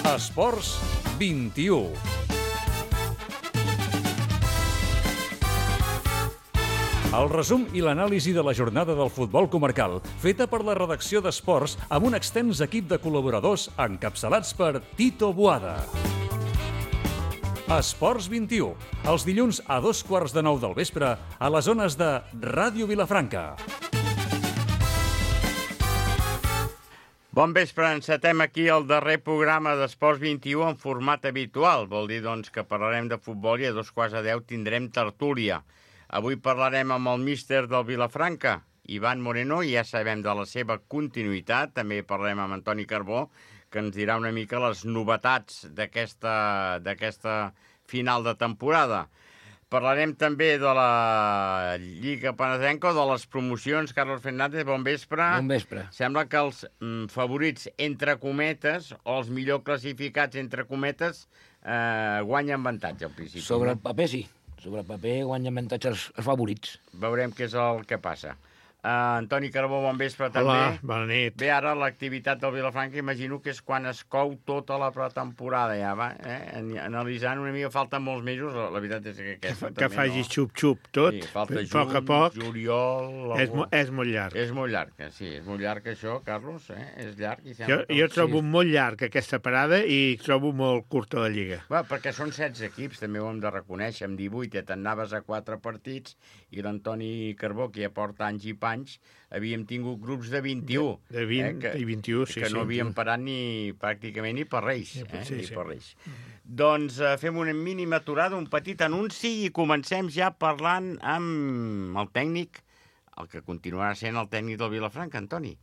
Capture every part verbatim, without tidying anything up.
Esports vint-i-u. El resum i l'anàlisi de la jornada del futbol comarcal, feta per la redacció d'Esports amb un extens equip de col·laboradors encapçalats per Tito Boada. Esports vint-i-u, els dilluns a dos quarts de nou del vespre a les zones de Ràdio Vilafranca. Bon vespre, encetem aquí el darrer programa d'Esports vint-i-u en format habitual. Vol dir, doncs, que parlarem de futbol i a dos quarts de deu tindrem tertúlia. Avui parlarem amb el míster del Vilafranca, Ivan Moreno, i ja sabem de la seva continuïtat. També parlarem amb Antoni Carbó, que ens dirà una mica les novetats d'aquesta d'aquesta final de temporada. Parlarem també de la Lliga Penedenca, de les promocions. Carlos Fernández, bon vespre. Bon vespre. Sembla que els mm, favorits, entre cometes, o els millor classificats, entre cometes, eh, guanyen avantatge al principi. Sobre el paper, sí. Sobre el paper guanyen avantatge els, els favorits. Veurem què és el que passa. Uh, Antoni Carbó, bon vespre també. Hola, bona nit. Bé, ara l'activitat del Vilafranca imagino que és quan es cou tota la pretemporada ja, va? Eh? Analitzant una mica, falten molts mesos, la, la veritat és que aquesta Que, també que faci no. xup-xup tot, Sí, falta a juny, poc a poc, juliol... és, algú- mo- és molt llarg. És molt llarg, eh? Sí, és molt llarg això, Carlos, eh? És llarg. I Jo, sembla que... jo trobo Sí. molt llarg aquesta parada i trobo molt curta la Lliga. Va, perquè són setze equips, també ho hem de reconèixer, amb divuit, ja te'n anaves a quatre partits, i l'Antoni Carbó, que ja porta anys i panys, havíem tingut grups de vint-i-u. De vint que, i vint-i-u, sí, que sí. no havíem parat ni, pràcticament ni per Reis. Sí, Eh? sí, ni sí. per Reis. Doncs eh, fem una mínima aturada, un petit anunci, i comencem ja parlant amb el tècnic, el que continuarà sent el tècnic del Vilafranca, Antoni.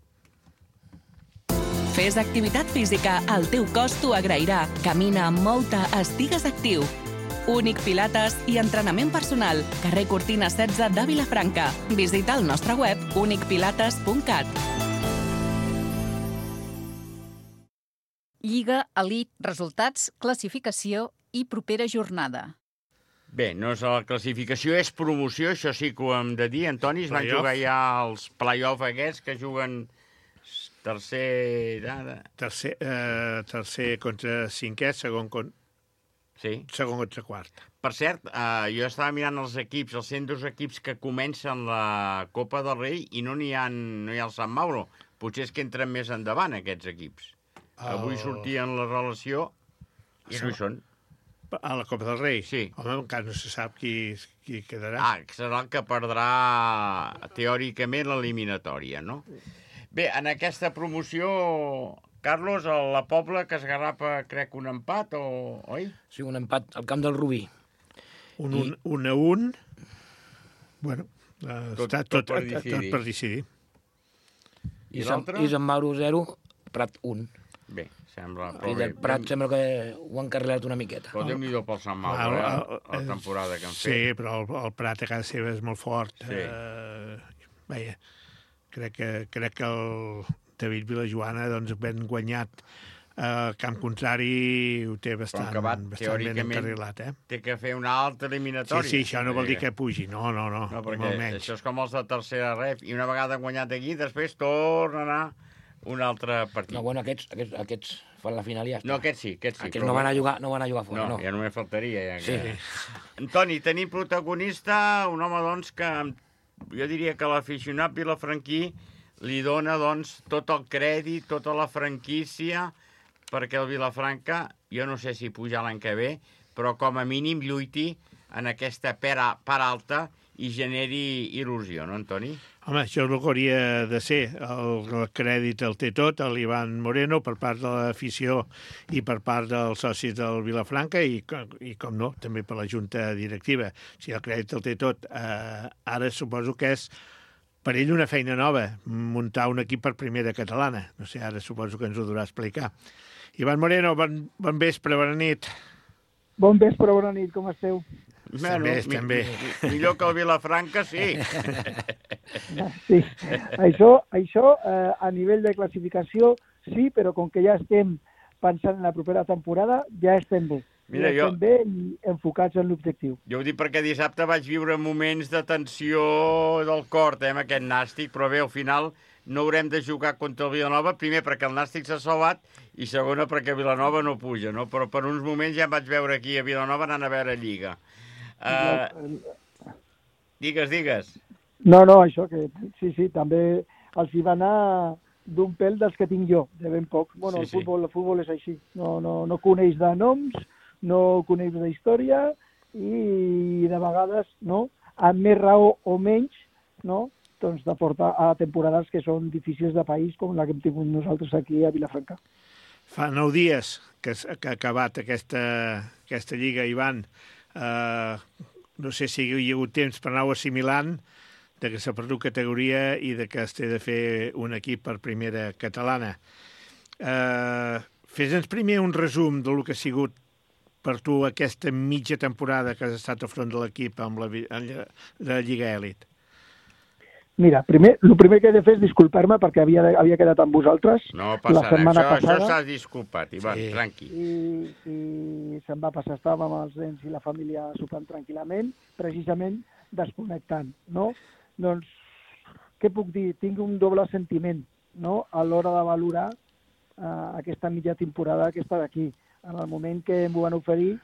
Fes activitat física, el teu cos t'ho agrairà. Camina, mou-te, estigues actiu. Únic Pilates i entrenament personal. Carrer Cortina setze de Vilafranca. Visita el nostre web únic pilates punt cat. Lliga, elit, resultats, classificació i propera jornada. Bé, no és la classificació, és promoció, això sí que ho hem de dir. Antoni, es van Play-off. jugar ja els play-off aquests que juguen tercer... Ara. Tercer, eh, tercer contra cinquè, segon, con, Sí. segon contra quart. Per cert, eh, jo estava mirant els equips, els cent dos equips que comencen la Copa del Rei i no n'hi ha, no hi ha el Sant Mauro. Potser és que entren més endavant, aquests equips. El- Avui sortien la relació i no hi són. A la Copa del Rei? Sí. Home, encara no se sap qui, qui quedarà. Ah, que serà el que perdrà teòricament l'eliminatòria, no? Bé, en aquesta promoció, Carlos, a la Pobla que es garrapa, crec, un empat, o... oi? Sí, un empat al camp del Rubí. Un, un, un a un. Bueno, eh, Tot- està tot tot, per tot, decidir. tot per decidir. I, I Sant, l'altre? I Sant Mauro zero, Prat un. Bé, sembla... I Però bé, del Prat sembla que ho han carregat una miqueta. Però Déu-n'hi-do pel Sant Mauro, Ah, eh, el- la el- temporada que han Sí, fet. però el, el Prat a casa seva és molt fort. Sí. Eh, veia, crec que, crec que el David Vilajoana, doncs, ben guanyat al camp contrari, ho té bastant, que va, bastant ben teòricament, encarrilat, eh? Té que fer una altra Sí, eliminatòria. sí, això no vol dir que pugi, no, no, no, No, ni perquè molt menys. això és com els de tercera ref, i una vegada guanyat aquí, després torna a anar un altre partit. No, bueno, aquests, aquests, aquests fan la final i ja està. No, aquests sí, aquests sí. Aquests però no van a bueno. jugar, no van a jugar fora, No, no. ja només faltaria. Ja que... Sí. Antoni, tenim protagonista, un home, doncs, que jo diria que l'aficionat vilafranquí li dona, doncs, tot el crèdit, tota la franquícia, perquè el Vilafranca, jo no sé si puja l'any que ve, però com a mínim lluiti en aquesta pera, part alta i generi il·lusió, no, Antoni? Home, això és el que hauria de ser. El, el crèdit el té tot, l'Ivan Moreno, per part de l'afició i per part dels socis del Vilafranca i, i com no, també per la junta directiva. Si el crèdit el té tot, eh, ara suposo que és per ell una feina nova, muntar un equip per primera catalana. No sé, ara suposo que ens ho durà explicar. Ivan Moreno, bon, bon vespre, bona nit. Bon vespre, bona nit, com esteu? Estem bé, estem bé. mi- Millor que el Vilafranca, sí. Sí, això, això eh, a nivell de classificació sí, però com que ja estem pensant en la propera temporada, ja estem bé. Mira, ja jo- estem bé i enfocats en l'objectiu. Jo ho dic perquè dissabte vaig viure moments de tensió del cor, eh, amb aquest nàstic, però bé, al final no haurem de jugar contra el Vilanova, primer perquè el Nàstic s'ha salvat i segona perquè Vilanova no puja, no? Però per uns moments ja em vaig veure aquí a Vilanova anant a veure Lliga. Uh, digues, digues. No, no, això que sí, sí, també els hi va anar d'un pèl dels que tinc jo, de ben poc. Bueno, sí, el, futbol, sí. el futbol és així, no, no, no coneix de noms, no coneix d'història i de vegades, no, amb més raó o menys, no, doncs de portar a temporades que són difícils de país, com la que hem tingut nosaltres aquí a Vilafranca. Fa nou dies que, que ha acabat aquesta, aquesta lliga, Ivan. Uh, no sé si hi ha hagut temps per anar assimilant de que s'ha perdut categoria i de que es té de fer un equip per primera catalana. Uh, Fes-nos primer un resum del que ha sigut per tu aquesta mitja temporada que has estat al front de l'equip amb la, la Lliga Elit. Mira, primer, el primer que he de fer és disculpar-me perquè havia, havia quedat amb vosaltres no passa la setmana això, passada. Això s'ha disculpat, Ivan, sí. Tranqui. I, i se'm va passar, estàvem amb els nens i la família sopant tranquil·lament, precisament desconnectant, no? Doncs, què puc dir? Tinc un doble sentiment, no?, a l'hora de valorar uh, aquesta mitja temporada que està d'aquí. En el moment que em van oferir,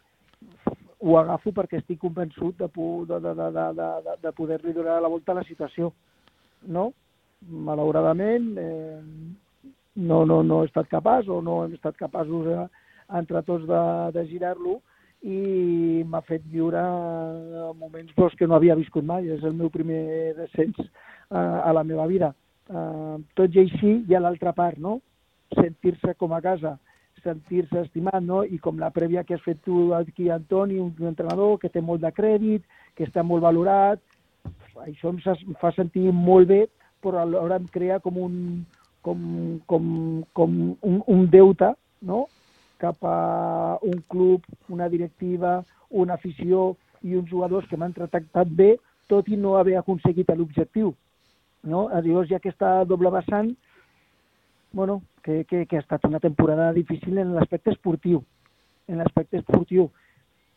ho agafo perquè estic convençut de, de, de, de, de, de, de poder-li donar la volta a la situació. No? Malauradament, eh, no, no, no he estat capaç o no hem estat capaços eh, entre tots de, de girar-lo i m'ha fet viure moments doncs, que no havia viscut mai. És el meu primer descens eh, a la meva vida. Eh, tot i així hi ha l'altra part, no? Sentir-se com a casa, sentir-se estimat, no? I com la prèvia que has fet tu aquí, Antoni, un entrenador que té molt de crèdit, que està molt valorat, això em fa sentir molt bé, però alhora em crea com un, com, com, com un, un deute, no?, cap a un club, una directiva, una afició i uns jugadors que m'han tractat bé, tot i no haver aconseguit l'objectiu. No? Llavors hi ha aquesta doble vessant, bueno, que, que, que ha estat una temporada difícil en l'aspecte esportiu, en l'aspecte esportiu,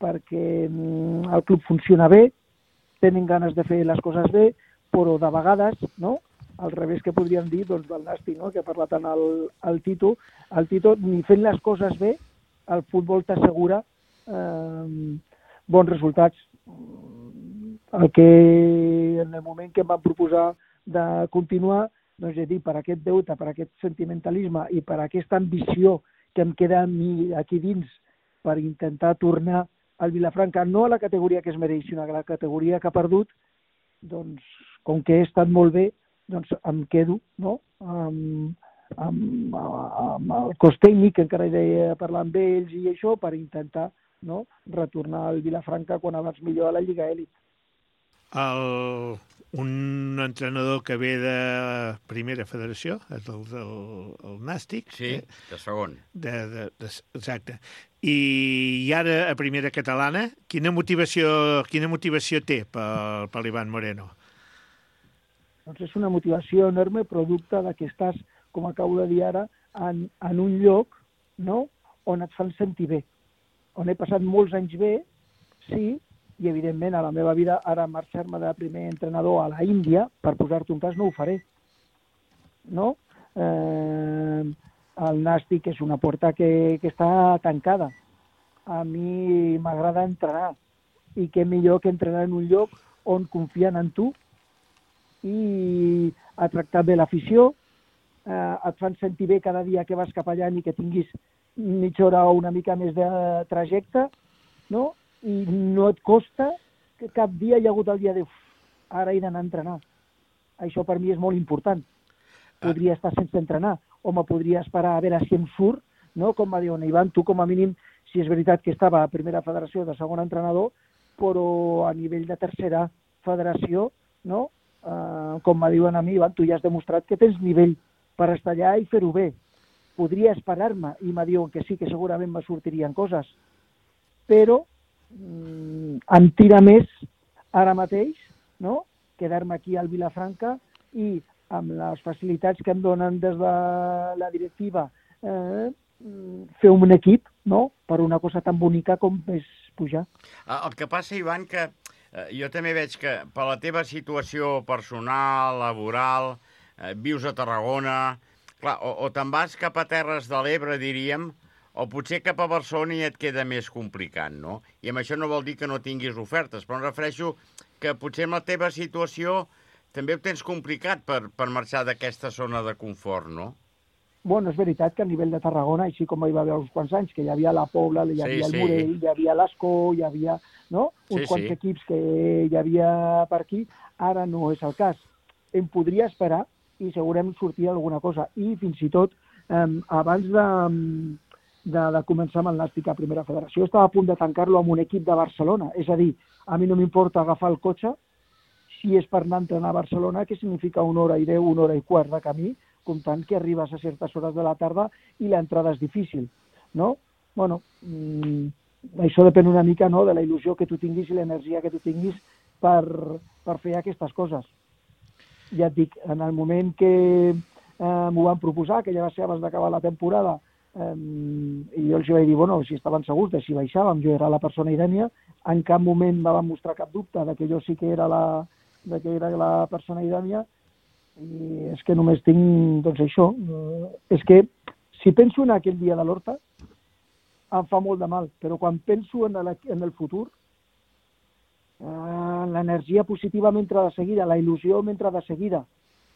perquè mm, el club funciona bé, tenen ganes de fer les coses bé, però de vegades, no?, al revés que podríem dir, doncs, del Nàstic, no?, que ha parlat en el, el Tito, el Tito, ni fent les coses bé, el futbol t'assegura eh, bons resultats. El que en el moment que em van proposar de continuar, doncs he dit, per aquest deute, per aquest sentimentalisme i per aquesta ambició que em queda a mi aquí dins per intentar tornar al Vilafranca, no a la categoria que es mereix, sinó a la categoria que ha perdut, doncs, com que he estat molt bé, doncs em quedo, no?, amb, amb, amb el cos tècnic, que encara he de parlar amb ells i això, per intentar, no?, retornar al Vilafranca quan abans millor a la Lliga Elit. El, un entrenador que ve de primera federació, és el, el, el Nàstic. Sí, eh? de segon. De, de, de, exacte. I, I ara a primera catalana, quina motivació, quina motivació té per, per l'Ivan Moreno? Doncs és una motivació enorme, producte de que estàs, com acabo de dir ara, en, en un lloc, no?, on et fan sentir bé, on he passat molts anys bé, sí, i evidentment a la meva vida ara marxar-me de primer entrenador a la Índia, per posar-te un cas, no ho faré. No? Eh, el Nàstic és una porta que, que està tancada. A mi m'agrada entrenar, i què millor que entrenar en un lloc on confien en tu i a tractar bé l'afició, eh, et fan sentir bé cada dia que vas cap allà ni que tinguis mitja hora o una mica més de trajecte, no? I no et costa que cap dia hi ha hagut el dia de ara he d'anar a entrenar. Això per mi és molt important. Podria estar sense entrenar, o me podria esperar a veure si em surt, no? Com va dir Ivan, tu com a mínim, si és veritat que estava a primera federació de segon entrenador, però a nivell de tercera federació, no? Uh, com me diuen a mi, Ivan, tu ja has demostrat que tens nivell per estar allà i fer-ho bé. Podria esperar-me, i me diuen que sí, que segurament me sortirien coses, però mm, em tira més ara mateix, no?, quedar-me aquí al Vilafranca i amb les facilitats que em donen des de la directiva eh, fer un equip, no?, per una cosa tan bonica com és pujar. El que passa, Ivan, que jo també veig que per la teva situació personal, laboral, eh, vius a Tarragona, clar, o, o te'n vas cap a Terres de l'Ebre, diríem, o potser cap a Barcelona i et queda més complicat, no? I amb això no vol dir que no tinguis ofertes, però em refereixo que potser amb la teva situació també ho tens complicat per, per marxar d'aquesta zona de confort, no? Bueno, és veritat que a nivell de Tarragona, així com hi va haver uns quants anys, que hi havia la Pobla, hi havia Sí, el sí. Morell, hi havia l'Escó, hi havia, no? uns Sí, quants sí. equips que hi havia per aquí, ara no és el cas. Em podria esperar i segurament sortir alguna cosa. I fins i tot, eh, abans de, de, de començar amb el Nàstic a Primera Federació, estava a punt de tancar-lo amb un equip de Barcelona. És a dir, a mi no m'importa agafar el cotxe si és per anar a entrenar a Barcelona, que significa una hora i deu, una hora i quart de camí, comptant que arribes a certes hores de la tarda i l'entrada és difícil, no? Bueno, mmm, això depèn una mica, no?, de la il·lusió que tu tinguis i l'energia que tu tinguis per, per fer aquestes coses. Ja et dic, en el moment que eh, m'ho van proposar, que ja va ser abans d'acabar la temporada, eh, i jo els vaig dir, bueno, si estaven segurs de si baixàvem, jo era la persona idènia, en cap moment me van mostrar cap dubte de que jo sí que era la, de que era la persona idènia, i és que només tinc, doncs això, eh, és que si penso en aquell dia de l'Horta, em fa molt de mal, però quan penso en el, en el futur, eh, l'energia positiva m'entra de seguida, la il·lusió m'entra de seguida,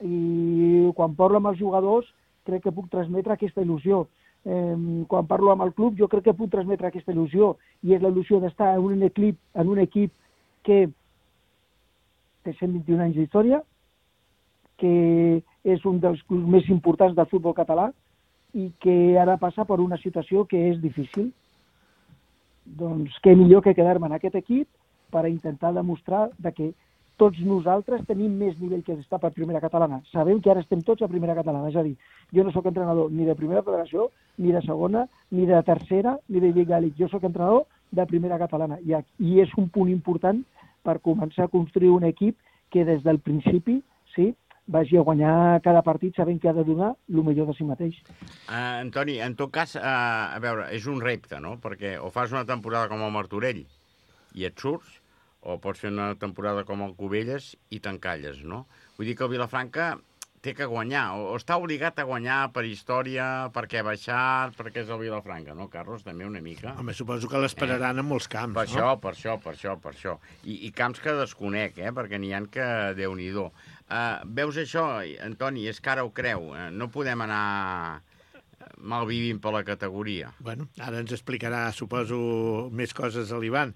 i quan parlo amb els jugadors crec que puc transmetre aquesta il·lusió. Eh, quan parlo amb el club jo crec que puc transmetre aquesta il·lusió, i és la il·lusió d'estar en un equip, en un equip que té cent vint-i-un anys d'història, que és un dels clubs més importants del futbol català i que ara passa per una situació que és difícil. Doncs què millor que quedar-me en aquest equip per intentar demostrar de que tots nosaltres tenim més nivell que estar per Primera Catalana. Sabem que ara estem tots a Primera Catalana, és a dir, jo no sóc entrenador ni de Primera Federació, ni de Segona, ni de Tercera, ni de Lliga Elite. Jo sóc entrenador de Primera Catalana i, i és un punt important per començar a construir un equip que des del principi, sí, vagi a guanyar cada partit sabent que ha de donar el millor de si mateix. Uh, Antoni, en tot cas, uh, a veure, és un repte, no? Perquè o fas una temporada com el Martorell i et surts, o pots fer una temporada com el Cubelles i t'encalles, no? Vull dir que el Vilafranca té que guanyar, o, o està obligat a guanyar per història, perquè ha baixat, perquè és el Vilafranca, no, Carlos? També una mica. Home, suposo que l'esperaran eh? en molts camps, per no? Això, per això, per això, per això. I, i camps que desconec, eh? Perquè n'hi ha que Déu-n'hi-do. Uh, veus això, Antoni, és que ara ho creu. Uh, no podem anar malvivint per la categoria. Bueno, ara ens explicarà, suposo, més coses a l'Ivan.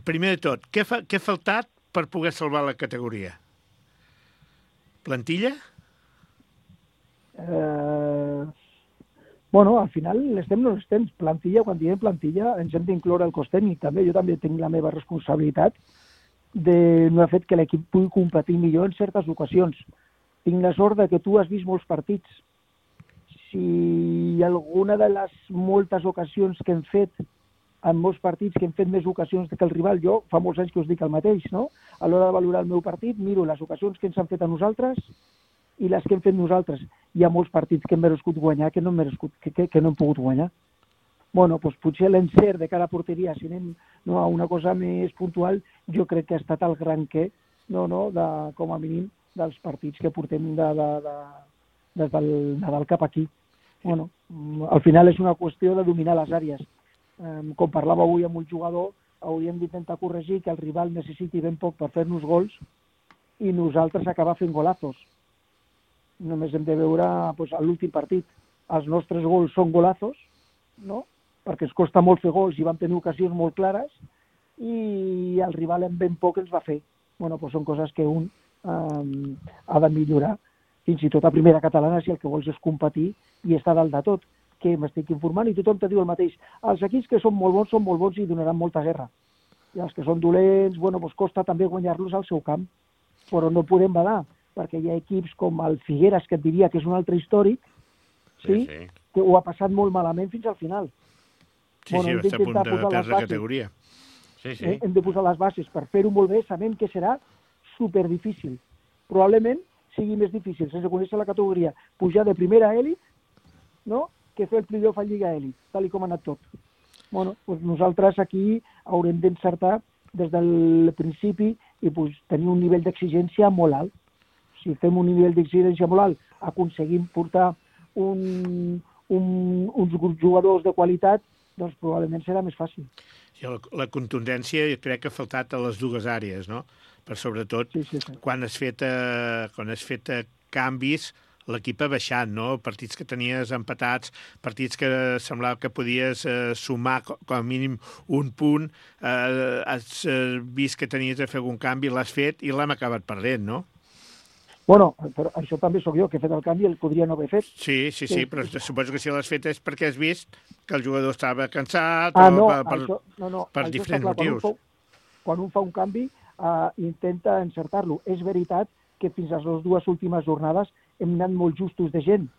Primer de tot, què, fa, què ha faltat per poder salvar la categoria? Plantilla? Eh, bueno, al final l'estem no l'estem. Plantilla, quan diem plantilla, ens hem d'incloure el cos tècnic també. Jo també tinc la meva responsabilitat de no haver fet que l'equip pugui competir millor en certes ocasions. Tinc la sort de que tu has vist molts partits. Si alguna de les moltes ocasions que hem fet, en molts partits que hem fet més ocasions que el rival, jo fa molts anys que us dic el mateix, no? A l'hora de valorar el meu partit, miro les ocasions que ens han fet a nosaltres i les que hem fet nosaltres. Hi ha molts partits que hem merescut guanyar que no hem, merescut, que, que, que no hem pogut guanyar. Bueno, doncs potser l'encert de cada porteria, si anem no, a una cosa més puntual, jo crec que ha estat el gran què, no, no, de, com a mínim, dels partits que portem de, de, de, des del Nadal cap aquí. Bueno, al final és una qüestió de dominar les àrees. Eh, com parlava avui amb un jugador, hauríem d'intentar corregir que el rival necessiti ben poc per fer-nos gols i nosaltres acabar fent golazos. Només hem de veure doncs, l'últim partit. Els nostres gols són golazos, no? Perquè ens costa molt fer gols i vam tenir ocasions molt clares i el rival en ben poc ens va fer. Bueno, doncs són coses que un eh, ha de millorar. Fins i tot a Primera Catalana, si el que vols és competir i estar dalt de tot, que m'estic informant i tothom te diu el mateix. Els equips que són molt bons són molt bons i donaran molta guerra. I els que són dolents, bueno, doncs costa també guanyar-los al seu camp. Però no podem badar, perquè hi ha equips com el Figueres, que et diria que és un altre històric, sí, sí, sí. que ho ha passat molt malament fins al final. Sí, bueno, sí, va estar a punt de perdre categoria. Sí, sí. Eh? Hem de posar les bases per fer-ho molt bé, sabem que serà superdifícil. Probablement sigui més difícil, sense conèixer la categoria, pujar de primera a elit, no?, que fer el playoff a Lliga Elit, tal com ha anat tot. Bueno, doncs nosaltres aquí haurem d'encertar des del principi i pues, tenir un nivell d'exigència molt alt. si fem un nivell d'exigència molt alt, aconseguim portar un, un, uns jugadors de qualitat, doncs probablement serà més fàcil. Sí, la, la contundència crec que ha faltat a les dues àrees, no? Per sobretot, sí, sí, sí. quan has fet, eh, quan has fet eh, canvis, l'equip ha baixat, no? Partits que tenies empatats, partits que semblava que podies eh, sumar com a mínim un punt, eh, has eh, vist que tenies de fer algun canvi, l'has fet i l'hem acabat perdent, no? Bueno, però això també sóc jo, que he fet el canvi, el podria no haver fet. Sí, sí, sí, sí, però suposo que si l'has fet és perquè has vist que el jugador estava cansat ah, o no, per, per, això, no, no, per diferents clar, motius. Quan un, fa, quan un fa un canvi, uh, intenta encertar-lo. És veritat que fins a les dues últimes jornades hem anat molt justos de gent.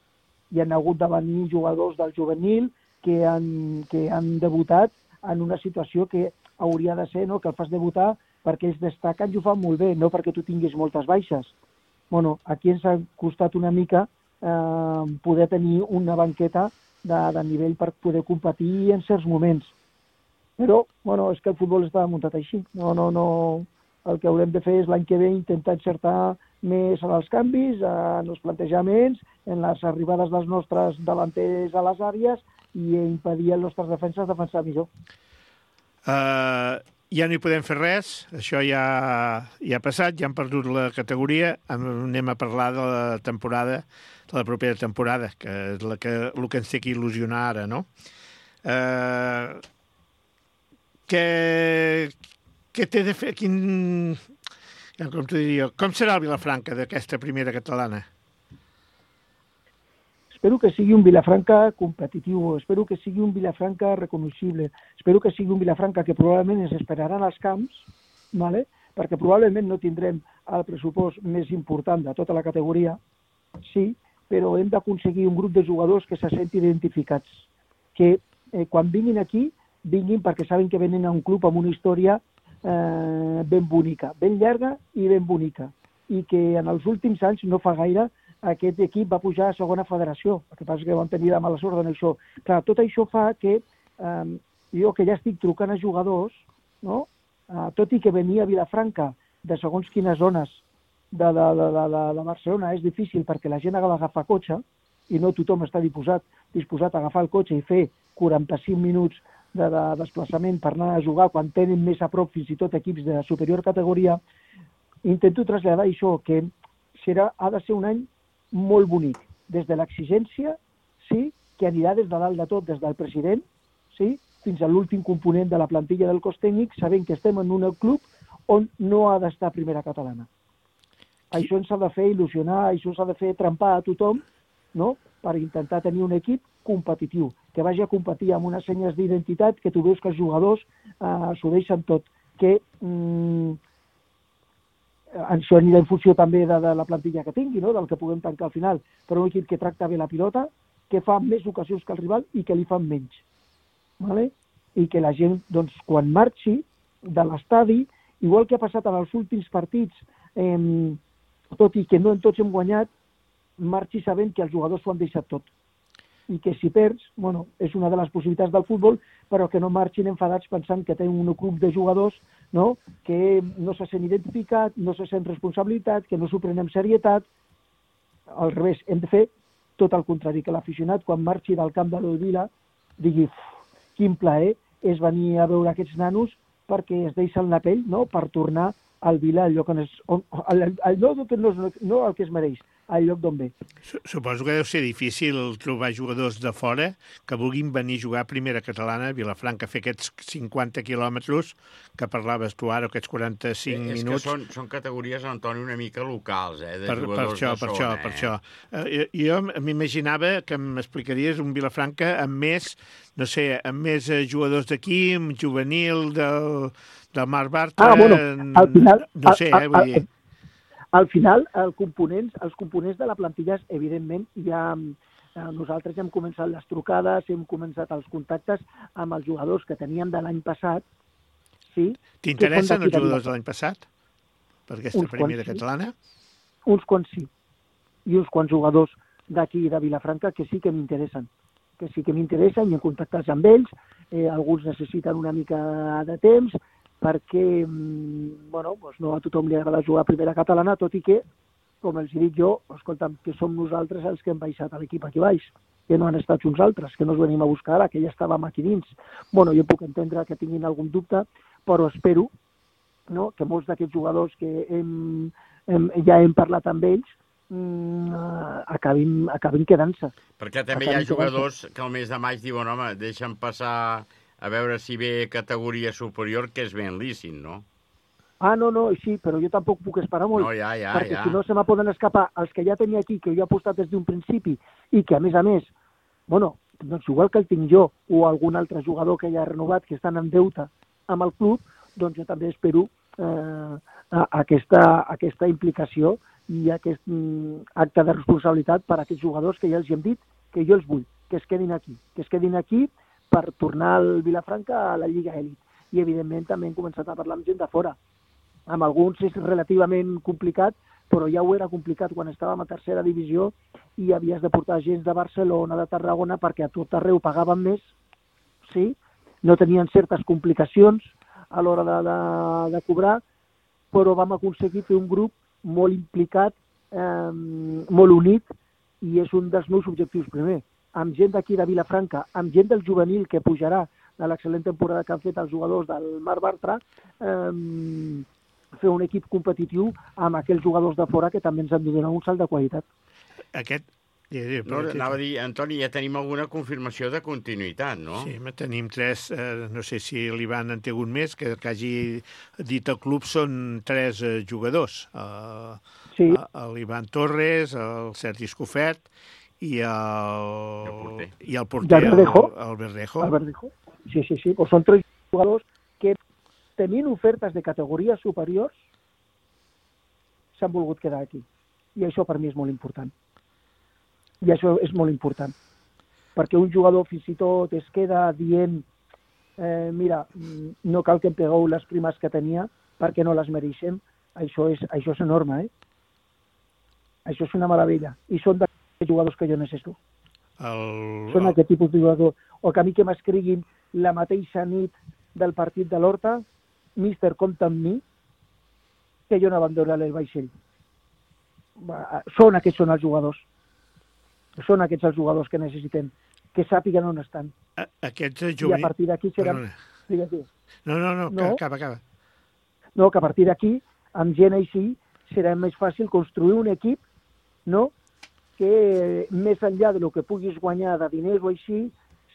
Hi han hagut de venir jugadors del juvenil que han, que han debutat en una situació que hauria de ser, no?, que el fas debutar perquè ells destaquen i ho fan molt bé, no perquè tu tinguis moltes baixes. Bueno, aquí ens ha costat una mica eh, poder tenir una banqueta de, de nivell per poder competir en certs moments. Però, bueno, és que el futbol està muntat així. No, no, no. El que haurem de fer és l'any que ve intentar encertar més en els canvis, en els plantejaments, en les arribades dels nostres davanters a les àrees i impedir als nostres defenses defensar millor. Uh, ja no hi podem fer res, això ja, ja ha passat, ja han perdut la categoria, anem a parlar de la temporada, de la propera temporada, que és la que, el que ens té que il·lusionar ara, no? Uh, què, què té de fer? Quin, com t'ho diria, com serà el Vilafranca d'aquesta primera catalana? Espero que sigui un Vilafranca competitiu, espero que sigui un Vilafranca reconeixible, espero que sigui un Vilafranca que probablement ens esperaran als camps, ¿vale? Perquè probablement no tindrem el pressupost més important de tota la categoria, sí, però hem d'aconseguir un grup de jugadors que se sentin identificats, que eh, quan vinguin aquí, vinguin perquè saben que venen a un club amb una història eh, ben bonica, ben llarga i ben bonica, i que en els últims anys, no fa gaire, aquest equip va pujar a segona federació, el que passa que van tenir la mala sort en això. Clar, tot això fa que eh, jo que ja estic trucant a jugadors, no? eh, tot i que venia a Vilafranca de segons quines zones de, de, de, de, de Barcelona és difícil perquè la gent ha d'agafar cotxe i no tothom està disposat, disposat a agafar el cotxe i fer quaranta-cinc minuts de, de desplaçament per anar a jugar quan tenen més a prop fins i tot equips de superior categoria. Intento traslladar això, que serà, ha de ser un any molt bonic, des de l'exigència, sí, que anirà des de dalt de tot, des del president, sí, fins a l'últim component de la plantilla del cos tècnic, sabent que estem en un club on no ha d'estar primera catalana. Això ens ha de fer il·lusionar, això s'ha de fer trempar a tothom, no?, per intentar tenir un equip competitiu, que vagi a competir amb unes senyes d'identitat, que tu veus que els jugadors eh, s'ho deixen tot, que mm, això anirà en funció també de, de la plantilla que tingui, no?, del que puguem tancar al final, però un equip que tracta bé la pilota, que fa més ocasions que el rival i que li fan menys. ¿Vale? I que la gent, doncs, quan marxi de l'estadi, igual que ha passat en els últims partits, eh, tot i que no en tots hem guanyat, marxi sabent que els jugadors s'ho han deixat tot. I que si perds, bueno, és una de les possibilitats del futbol, però que no marxin enfadats pensant que tenen un grup de jugadors, no?, que no se sent identificat, no se sent responsabilitat, que no s'ho prenen amb serietat. Al revés, hem de fer tot el contrari, que l'aficionat, quan marxi del camp de l'Olvila, digui, quin plaer és venir a veure aquests nanos perquè es deixen la pell, no?, per tornar al Vila, al lloc on és, on, al, al lloc que no, no el que es mereix, al lloc d'on ve. Suposo que deu ser difícil trobar jugadors de fora que vulguin venir a jugar a primera catalana a Vilafranca, fer aquests cinquanta quilòmetres que parlaves tu ara, aquests quaranta-cinc eh, és minuts. És que són, són categories, Antoni, una mica locals, eh, de per, jugadors per això, de per zona. això, eh? per això. Eh, jo m'imaginava que m'explicaries un Vilafranca amb més, no sé, amb més jugadors d'aquí, amb juvenil del, del Mar Bartra... Ah, bueno, al final... No sé, eh, vull dir... Al final, el components, els components de la plantilla, evidentment, ja nosaltres hem començat les trucades, hem començat els contactes amb els jugadors que teníem de l'any passat. Sí, t'interessen els jugadors de l'any passat? Per aquesta uns primera quants, catalana? Sí. Uns quants sí. I uns quants jugadors d'aquí de Vilafranca que sí que m'interessen. Que sí que m'interessen i hem contactat amb ells. Eh, alguns necessiten una mica de temps, perquè bueno, doncs no a tothom li agrada jugar a primera catalana, tot i que com els dic jo, escolta'm, que som nosaltres els que hem baixat a l'equip aquí baix, que no han estat uns altres, que no els venim a buscar ara, que ja estàvem aquí dins. Bueno, jo puc entendre que tinguin algun dubte, però espero, no?, que molts d'aquests jugadors que hem, hem, ja hem parlat amb ells mm, acabin, acabin quedant-se. Perquè també acabin hi ha jugadors que al mes de maig diuen, home, deixen passar a veure si ve categoria superior, que és ben lícit, no? Ah, no, no, sí, però jo tampoc puc esperar molt, no, ja, ja, perquè ja. si no se me poden escapar els que ja tenia aquí, que jo he apostat des d'un principi, i que, a més a més, bueno, doncs igual que el tinc jo, o algun altre jugador que ja ha renovat, que estan en deute amb el club, doncs jo també espero eh, aquesta, aquesta implicació i aquest mm, acte de responsabilitat per a aquests jugadors que ja els hem dit que jo els vull, que es quedin aquí, que es quedin aquí per tornar al Vilafranca a la Lliga Elit. I, evidentment, també hem començat a parlar amb gent de fora. Amb alguns és relativament complicat, però ja ho era complicat quan estàvem a tercera divisió i havies de portar gent de Barcelona, de Tarragona, perquè a tot arreu pagaven més, sí? No tenien certes complicacions a l'hora de, de, de cobrar, però vam aconseguir fer un grup molt implicat, eh, molt unit, i és un dels meus objectius primer. Amb gent d'aquí de Vilafranca, amb gent del juvenil que pujarà de l'excel·lent temporada que han fet els jugadors del Mar Bartra, eh, fer un equip competitiu amb aquells jugadors de fora que també ens han de donar un salt de qualitat. Aquest... No, anava a dir, Antoni, ja tenim alguna confirmació de continuïtat, no? Sí, tenim tres, eh, no sé si l'Ivan en té un més, que, que hagi dit el club són tres eh, jugadors. Eh, sí. L'Ivan Torres, el Sergi Escofet i el, el porter, i el, porter el, Verdejo. el, el Verdejo. El Verdejo. Sí, sí, sí. Pues són tres jugadors que tenint ofertes de categories superiors s'han volgut quedar aquí. I això per mi és molt important. I això és molt important. Perquè un jugador fins i tot es queda dient eh, mira, no cal que em pegueu les primes que tenia perquè no les mereixem. Això és, això és enorme, eh? Això és una meravella. I són d'aquests jugadors que jo necessito. El... Són aquest tipus de jugador. O que a mi que m'escriguin la mateixa nit del partit de l'Horta, míster, compta amb mi, que jo no abandonaré el vaixell. Són aquests són els jugadors. Són aquests els jugadors que necessitem, que sàpiguen on estan. A, aquests juvenils... I a partir d'aquí serà... No, no, no, no, acaba, acaba. No, que a partir d'aquí, amb gent així, serà més fàcil construir un equip, no?, que més enllà de lo que puguis guanyar de diners o així,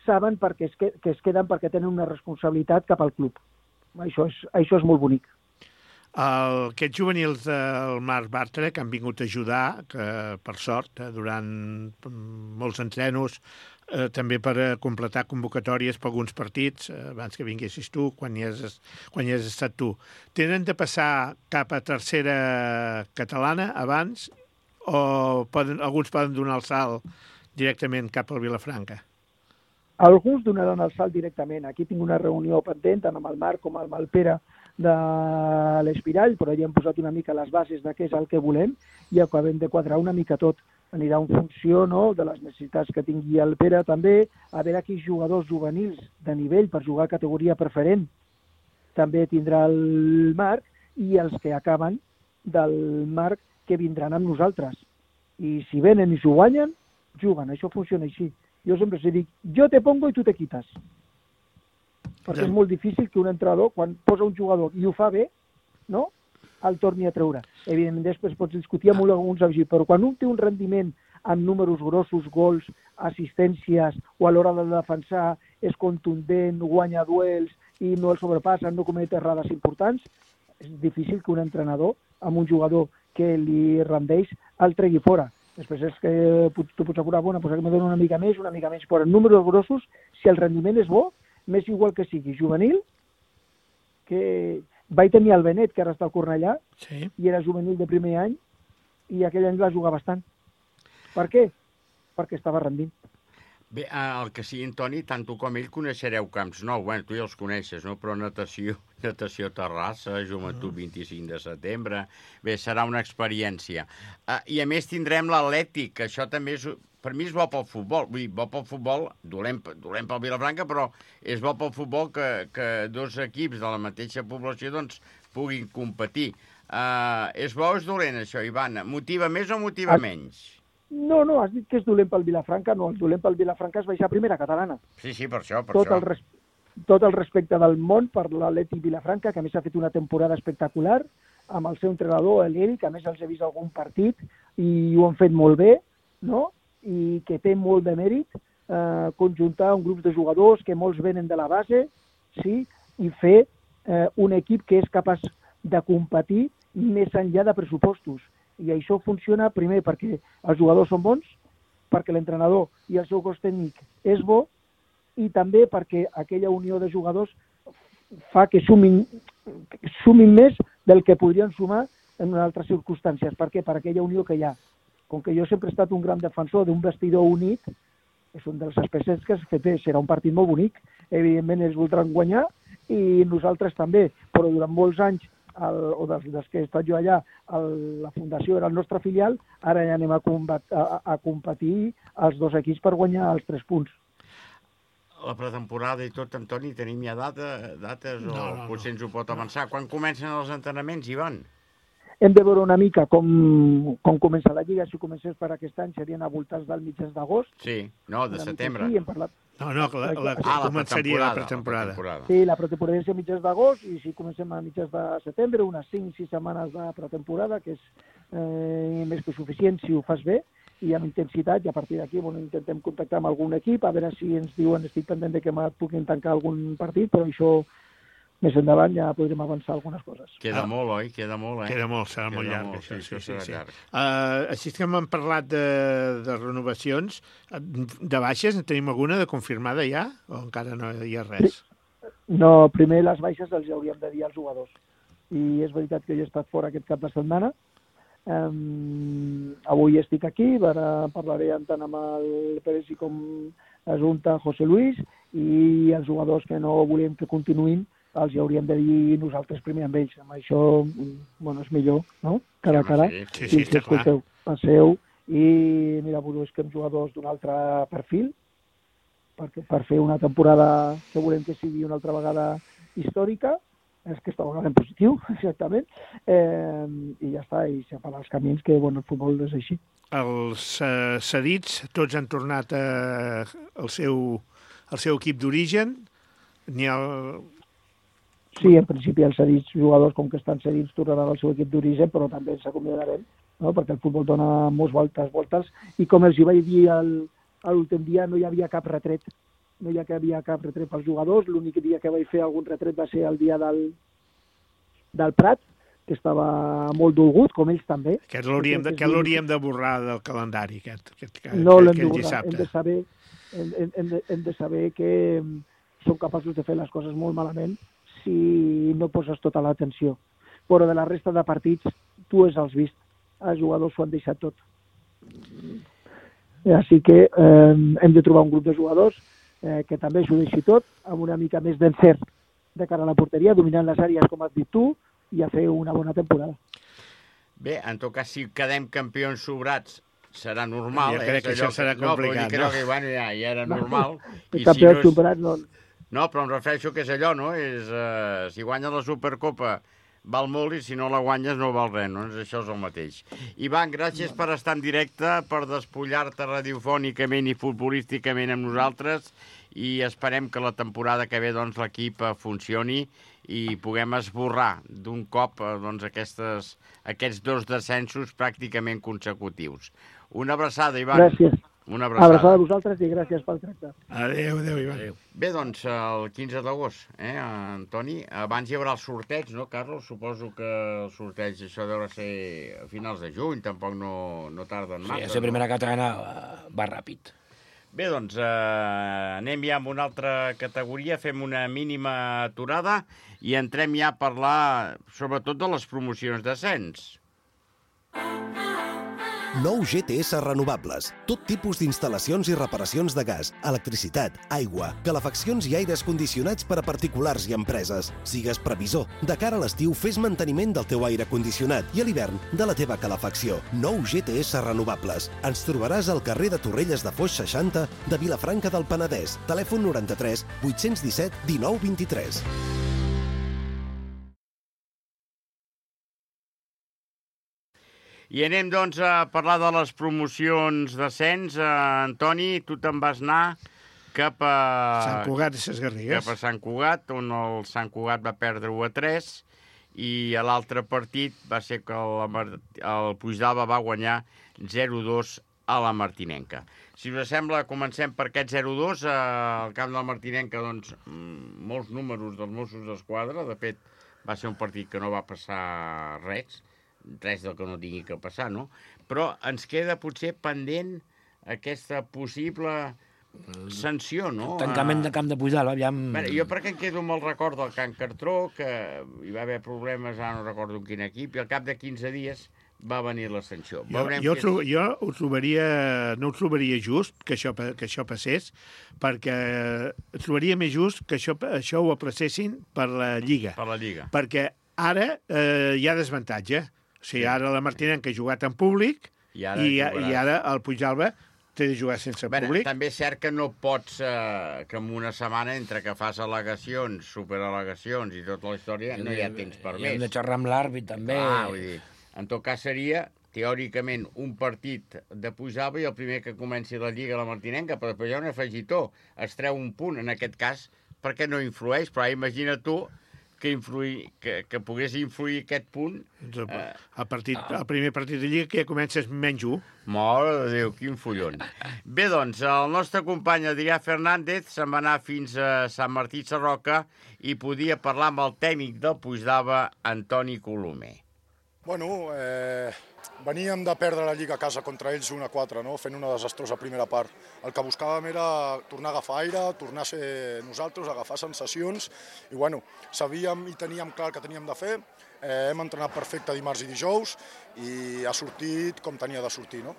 saben perquè es que, que es queden perquè tenen una responsabilitat cap al club. Això és, això és molt bonic. El, aquests juvenils del Marc Bartra que han vingut a ajudar, que per sort, eh, durant molts entrenos, eh, també per completar convocatòries per alguns partits, eh, abans que vinguessis tu, quan hi, has, quan hi has estat tu, tenen de passar cap a tercera catalana abans o poden, alguns poden donar el salt directament cap al Vilafranca? Alguns donaran el salt directament. Aquí tinc una reunió pendent tant amb el Marc com amb el Pere de l'Espirall, però ja hem posat una mica les bases de què és el que volem i acabem de quadrar una mica tot. Anirà en funció, no?, de les necessitats que tingui el Pere també, a veure quins jugadors juvenils de nivell per jugar a categoria preferent també tindrà el Marc i els que acaben del Marc que vindran amb nosaltres. I si venen i s'ho guanyen, juguen. Això funciona així. Jo sempre se dic, jo te pongo i tu te quitas. Perquè ja. És molt difícil que un entrenador, quan posa un jugador i ho fa bé, no?, el torni a treure. Evidentment, després pots discutir amb alguns així, però quan un té un rendiment amb números grossos, gols, assistències, o a l'hora de defensar és contundent, guanya duels i no el sobrepassen, no comet errades importants, és difícil que un entrenador amb un jugador que li rendeix el tregui fora. Després és que tu pots apurar, bueno, pues que me dona una mica més, una mica més, però en números grossos, si el rendiment és bo, m'és igual que sigui juvenil, que vaig tenir el Benet, que ara està al Cornellà, sí. I era juvenil de primer any, i aquell any va jugar bastant. Per què? Perquè estava rendint. Bé, el que sigui, Antoni, tant tu com ell coneixereu Camps Nou. Bueno, tu ja els coneixes, no? Però natació, natació Terrassa, Joventut vint-i-cinc de setembre... Bé, serà una experiència. Uh, I a més tindrem l'Atlètic, que això també és... Per mi és bo pel futbol. Vull dir, bo pel futbol, dolent, dolent pel Vilafranca, però és bo pel futbol que, que dos equips de la mateixa població doncs, puguin competir. Uh, és bo o és dolent, això, Ivan? Motiva més o motiva Ah. menys? No, no, has dit que és dolent pel Vilafranca. No, el dolent pel Vilafranca és baixar a primera catalana. Sí, sí, per això, per Tot això. el, res... tot el respecte del món per l'Atlètic Vilafranca, que a més ha fet una temporada espectacular, amb el seu entrenador, l'Eri, que a més els he vist algun partit i ho han fet molt bé, no? I que té molt de mèrit eh, conjuntar un grup de jugadors que molts venen de la base, sí, i fer eh, un equip que és capaç de competir més enllà de pressupostos. I això funciona primer perquè els jugadors són bons, perquè l'entrenador i el seu cos tècnic és bo, i també perquè aquella unió de jugadors fa que sumin, sumin més del que podrien sumar en altres circumstàncies. Per què? Per aquella unió que hi ha. Com que jo sempre he estat un gran defensor d'un vestidor unit, és un dels aspectes que es fet, serà un partit molt bonic. Evidentment ells voldran guanyar i nosaltres també, però durant molts anys, el, o des, des que he estat jo allà, el, la fundació era el nostre filial, ara ja anem a, combat, a, a competir els dos equips per guanyar els tres punts. La pretemporada i tot, Antoni, tenim ja data, dates o No, no, no. potser ens ho pot avançar? Quan comencen els entrenaments, Ivan? Hem de veure una mica com, com comença la Lliga. Si comencés per aquest any serien a voltants del mitjans d'agost. Sí, no, de Una mica setembre. així, hem parlat. No, no, la, la, Ah, la començaria la pretemporada. pretemporada. Sí, la pretemporada és a mitjans d'agost i si comencem a mitjans de setembre, unes cinc sis setmanes de pretemporada, que és eh, més que suficient si ho fas bé i amb intensitat, i a partir d'aquí bueno, intentem contactar amb algun equip, a veure si ens diuen, estic pendent de que me puguin tancar algun partit, però això més endavant ja podrem avançar algunes coses. Queda Ah. molt, oi? Queda molt, eh? Queda molt, serà molt Queda llarg, molt, això. sí, Sí, això sí, serà sí. llarg. Uh, així que hem parlat de, de renovacions. De baixes, en tenim alguna de confirmada ja? O encara no hi ha res? No, primer les baixes els hauríem de dir als jugadors. I és veritat que jo he estat fora aquest cap de setmana. Um, avui estic aquí, ara parlaré tant amb el Pérez com Ajunta José Luis, i els jugadors que no volem que continuïn els hi hauríem de dir nosaltres primer amb ells. Amb això, bueno, és millor, no? Cara a cara. Sí, Sí, sí, està clar. Escolteu, passeu, i mira, busquem jugadors d'un altre perfil, perquè per fer una temporada que volem que sigui una altra vegada històrica, és que aquesta vegada en positiu, exactament, eh, i ja està, i separar els camins, que bueno, el futbol és així. Els uh, cedits, tots han tornat a, al, seu, al seu equip d'origen. N'hi ha... Sí, en principi els cedits jugadors, com que estan cedits, tornaran al seu equip d'origen, però també ens acomiadarem, no? Perquè el futbol dona molts voltes, voltes, i com els hi vaig dir el, l'últim dia, no hi havia cap retret. No hi havia cap retret pels jugadors. L'únic dia que vaig fer algun retret va ser el dia del, del Prat, que estava molt dolgut, com ells també. Aquest l'hauríem de, aquest l'hauríem de borrar del calendari, aquest, aquest, aquest, No l'hem de aquest borrar. Hem dissabte. de saber, hem, hem, hem, de, hem de saber que mm, som capaços de fer les coses molt malament si no poses tota l'atenció. Però de la resta de partits, tu els has vist. Els jugadors s'ho han deixat tot. Així que eh, hem de trobar un grup de jugadors eh, que també s'ho deixi tot, amb una mica més d'encert de cara a la porteria, dominant les àrees, com has dit tu, i a fer una bona temporada. Bé, en tot cas, si quedem campions sobrats, serà normal. Jo eh? crec que És allò això serà no, complicat, però no? que, bueno, ja, ja era normal. El I campió no si superat no... No, però em refereixo que és allò, no? És, uh, si guanyes la Supercopa val molt i si no la guanyes no val res, no? Això és el mateix. Ivan, gràcies per estar en directe, per despullar-te radiofònicament i futbolísticament amb nosaltres, i esperem que la temporada que ve doncs, l'equip funcioni i puguem esborrar d'un cop doncs, aquestes, aquests dos descensos pràcticament consecutius. Una abraçada, Ivan. Gràcies. Una abraçada. Abraçada a vosaltres i gràcies pel tracte. Adéu, adéu, Ivan. Adéu. Bé, doncs, el quinze d'agost, eh, Antoni? Abans hi haurà el sorteig, no, Carlos? Suposo que el sorteig, això deu ser a finals de juny, tampoc no, no tarden Sí, massa. a ser primera catalana uh, va ràpid. Bé, doncs, eh, anem ja amb una altra categoria, fem una mínima aturada i entrem ja a parlar sobretot de les promocions d'ascens. Nou G T S Renovables. Tot tipus d'instal·lacions i reparacions de gas, electricitat, aigua, calefaccions i aires condicionats per a particulars i empreses. Sigues previsor. De cara a l'estiu, fes manteniment del teu aire condicionat i a l'hivern de la teva calefacció. Nou G T S Renovables. Ens trobaràs al carrer de Torrelles de Foix seixanta de Vilafranca del Penedès. Telèfon noranta-tres vuit-cents disset dinou vint-i-tres. I anem, doncs, a parlar de les promocions d'ascens. Uh, Antoni, tu te'n vas anar cap a... Sant Cugat i Ses Garrigues. Cap a Sant Cugat, on el Sant Cugat va perdre u a tres, i a l'altre partit va ser que el, el Puigdàlber va guanyar zero a dos a la Martinenca. Si us sembla, comencem per aquest zero a dos. Al camp de la Martinenca, doncs, molts números dels Mossos d'Esquadra. De fet, va ser un partit que no va passar res, res del que no tingui que passar, no? Però ens queda potser pendent aquesta possible sanció, no? Tancament del camp de Puigdàlber, aviam... Bé, jo perquè em quedo amb el record del Can Cartró, que hi va haver problemes, ara no recordo en quin equip, i al cap de quinze dies va venir la sanció. Jo, jo, és... jo ho trobaria, no ho trobaria just que això, que això passés, perquè trobaria més just que això, això ho aplacessin per la Lliga. Per la Lliga. Perquè ara eh, hi ha desvantatge. O sigui, ara la Martinenca ha jugat en públic i ara, i, i ara el Puigdàlber té de jugar sense Bé, públic. També és cert que no pots, eh, que en una setmana, entre que fas al·legacions, superal·legacions i tota la història, no hi ha temps per més. I hem de xerrar amb l'àrbit, també. Ah, vull dir, en tot cas seria, teòricament, un partit de Puigdàlber i el primer que comenci la Lliga a la Martinenca, però després hi ha un afegitó, es treu un punt, en aquest cas, perquè no influeix, però imagina tu que, influir, que, que pogués influir aquest punt. Doncs el, el, partit, el primer partit de Lliga que ja comences menys un. Mare de Déu, quin follon. Bé, doncs, el nostre company Adrià Fernández se'n va anar fins a Sant Martí Sarroca i podia parlar amb el tècnic del Puigdàlber, Antoni Colomer. Bueno, eh, veníem de perdre la Lliga a casa contra ells un a quatre, no? Fent una desastrosa primera part. El que buscàvem era tornar a agafar aire, tornar a ser nosaltres, agafar sensacions, i bueno, sabíem i teníem clar el que teníem de fer. Eh, hem entrenat perfecte dimarts i dijous i ha sortit com tenia de sortir, no?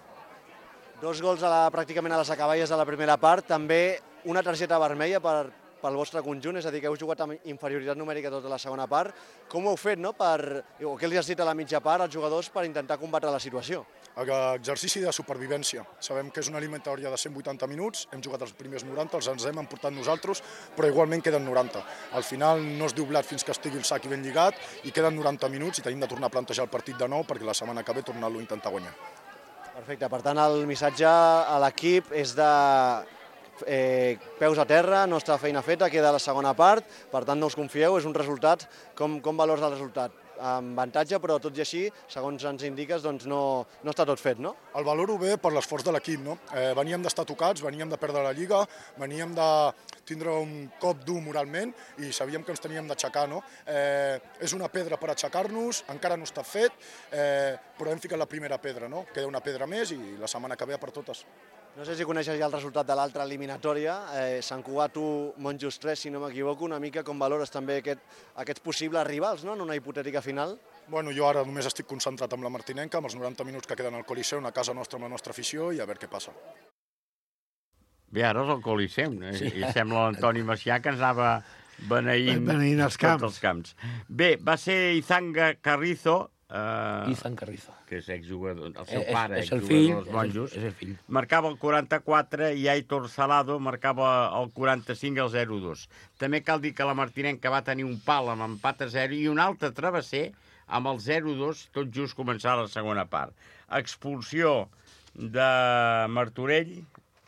Dos gols a la, pràcticament a les acaballes de la primera part, també una targeta vermella per, pel vostre conjunt, és a dir, que heu jugat amb inferioritat numèrica tota la segona part. Com ho heu fet, no? Per, o què els has dit a la mitja part als jugadors per intentar combatre la situació? Exercici de supervivència. Sabem que és una eliminatòria de cent vuitanta minuts, hem jugat els primers noranta, els ens hem emportat nosaltres, però igualment queden noranta. Al final no es diu blat fins que estigui el sac i ben lligat, i queden noranta minuts i tenim de tornar a plantejar el partit de nou perquè la setmana que ve tornar-lo a intentar guanyar. Perfecte, per tant el missatge a l'equip és de eh, peus a terra, nostra feina feta, queda la segona part, per tant no us confieu, és un resultat, com, com valors el resultat? Amb avantatge, però tot i així, segons ens indiques, doncs no, no està tot fet, no? El valoro bé per l'esforç de l'equip, no? Eh, veníem d'estar tocats, veníem de perdre la Lliga, veníem de tindre un cop dur moralment i sabíem que ens teníem d'aixecar, no? Eh, és una pedra per aixecar-nos, encara no està fet, eh, però hem ficat la primera pedra, no? Queda una pedra més i la setmana que ve a per totes. No sé si coneixes ja el resultat de l'altra eliminatòria, eh, Sant Cugat u, Monjos tres, si no m'equivoco, una mica com valores també aquest, aquests possibles rivals, no?, en una hipotètica final? Bueno, jo ara només estic concentrat amb la Martinenca, amb els noranta minuts que queden al Coliseu, a casa nostra amb la nostra afició, i a veure què passa. Bé, ara és el Coliseu, eh? Sí. I sembla l'Antoni Macià que ens anava beneint, beneint els camps. tots els camps. Bé, va ser Izanga Carrizo, Uh, Izan Carrizo. Que és exjugador, el seu és, pare, és el exjugador fill, dels Monjos. És el, és el fill. Marcava el quaranta-quatre i Aitor Salado marcava el quaranta-cinc i el zero a dos. També cal dir que la Martinenca va tenir un pal amb empat a zero i un altre travesser amb el zero a dos, tot just començar la segona part. Expulsió de Martorell,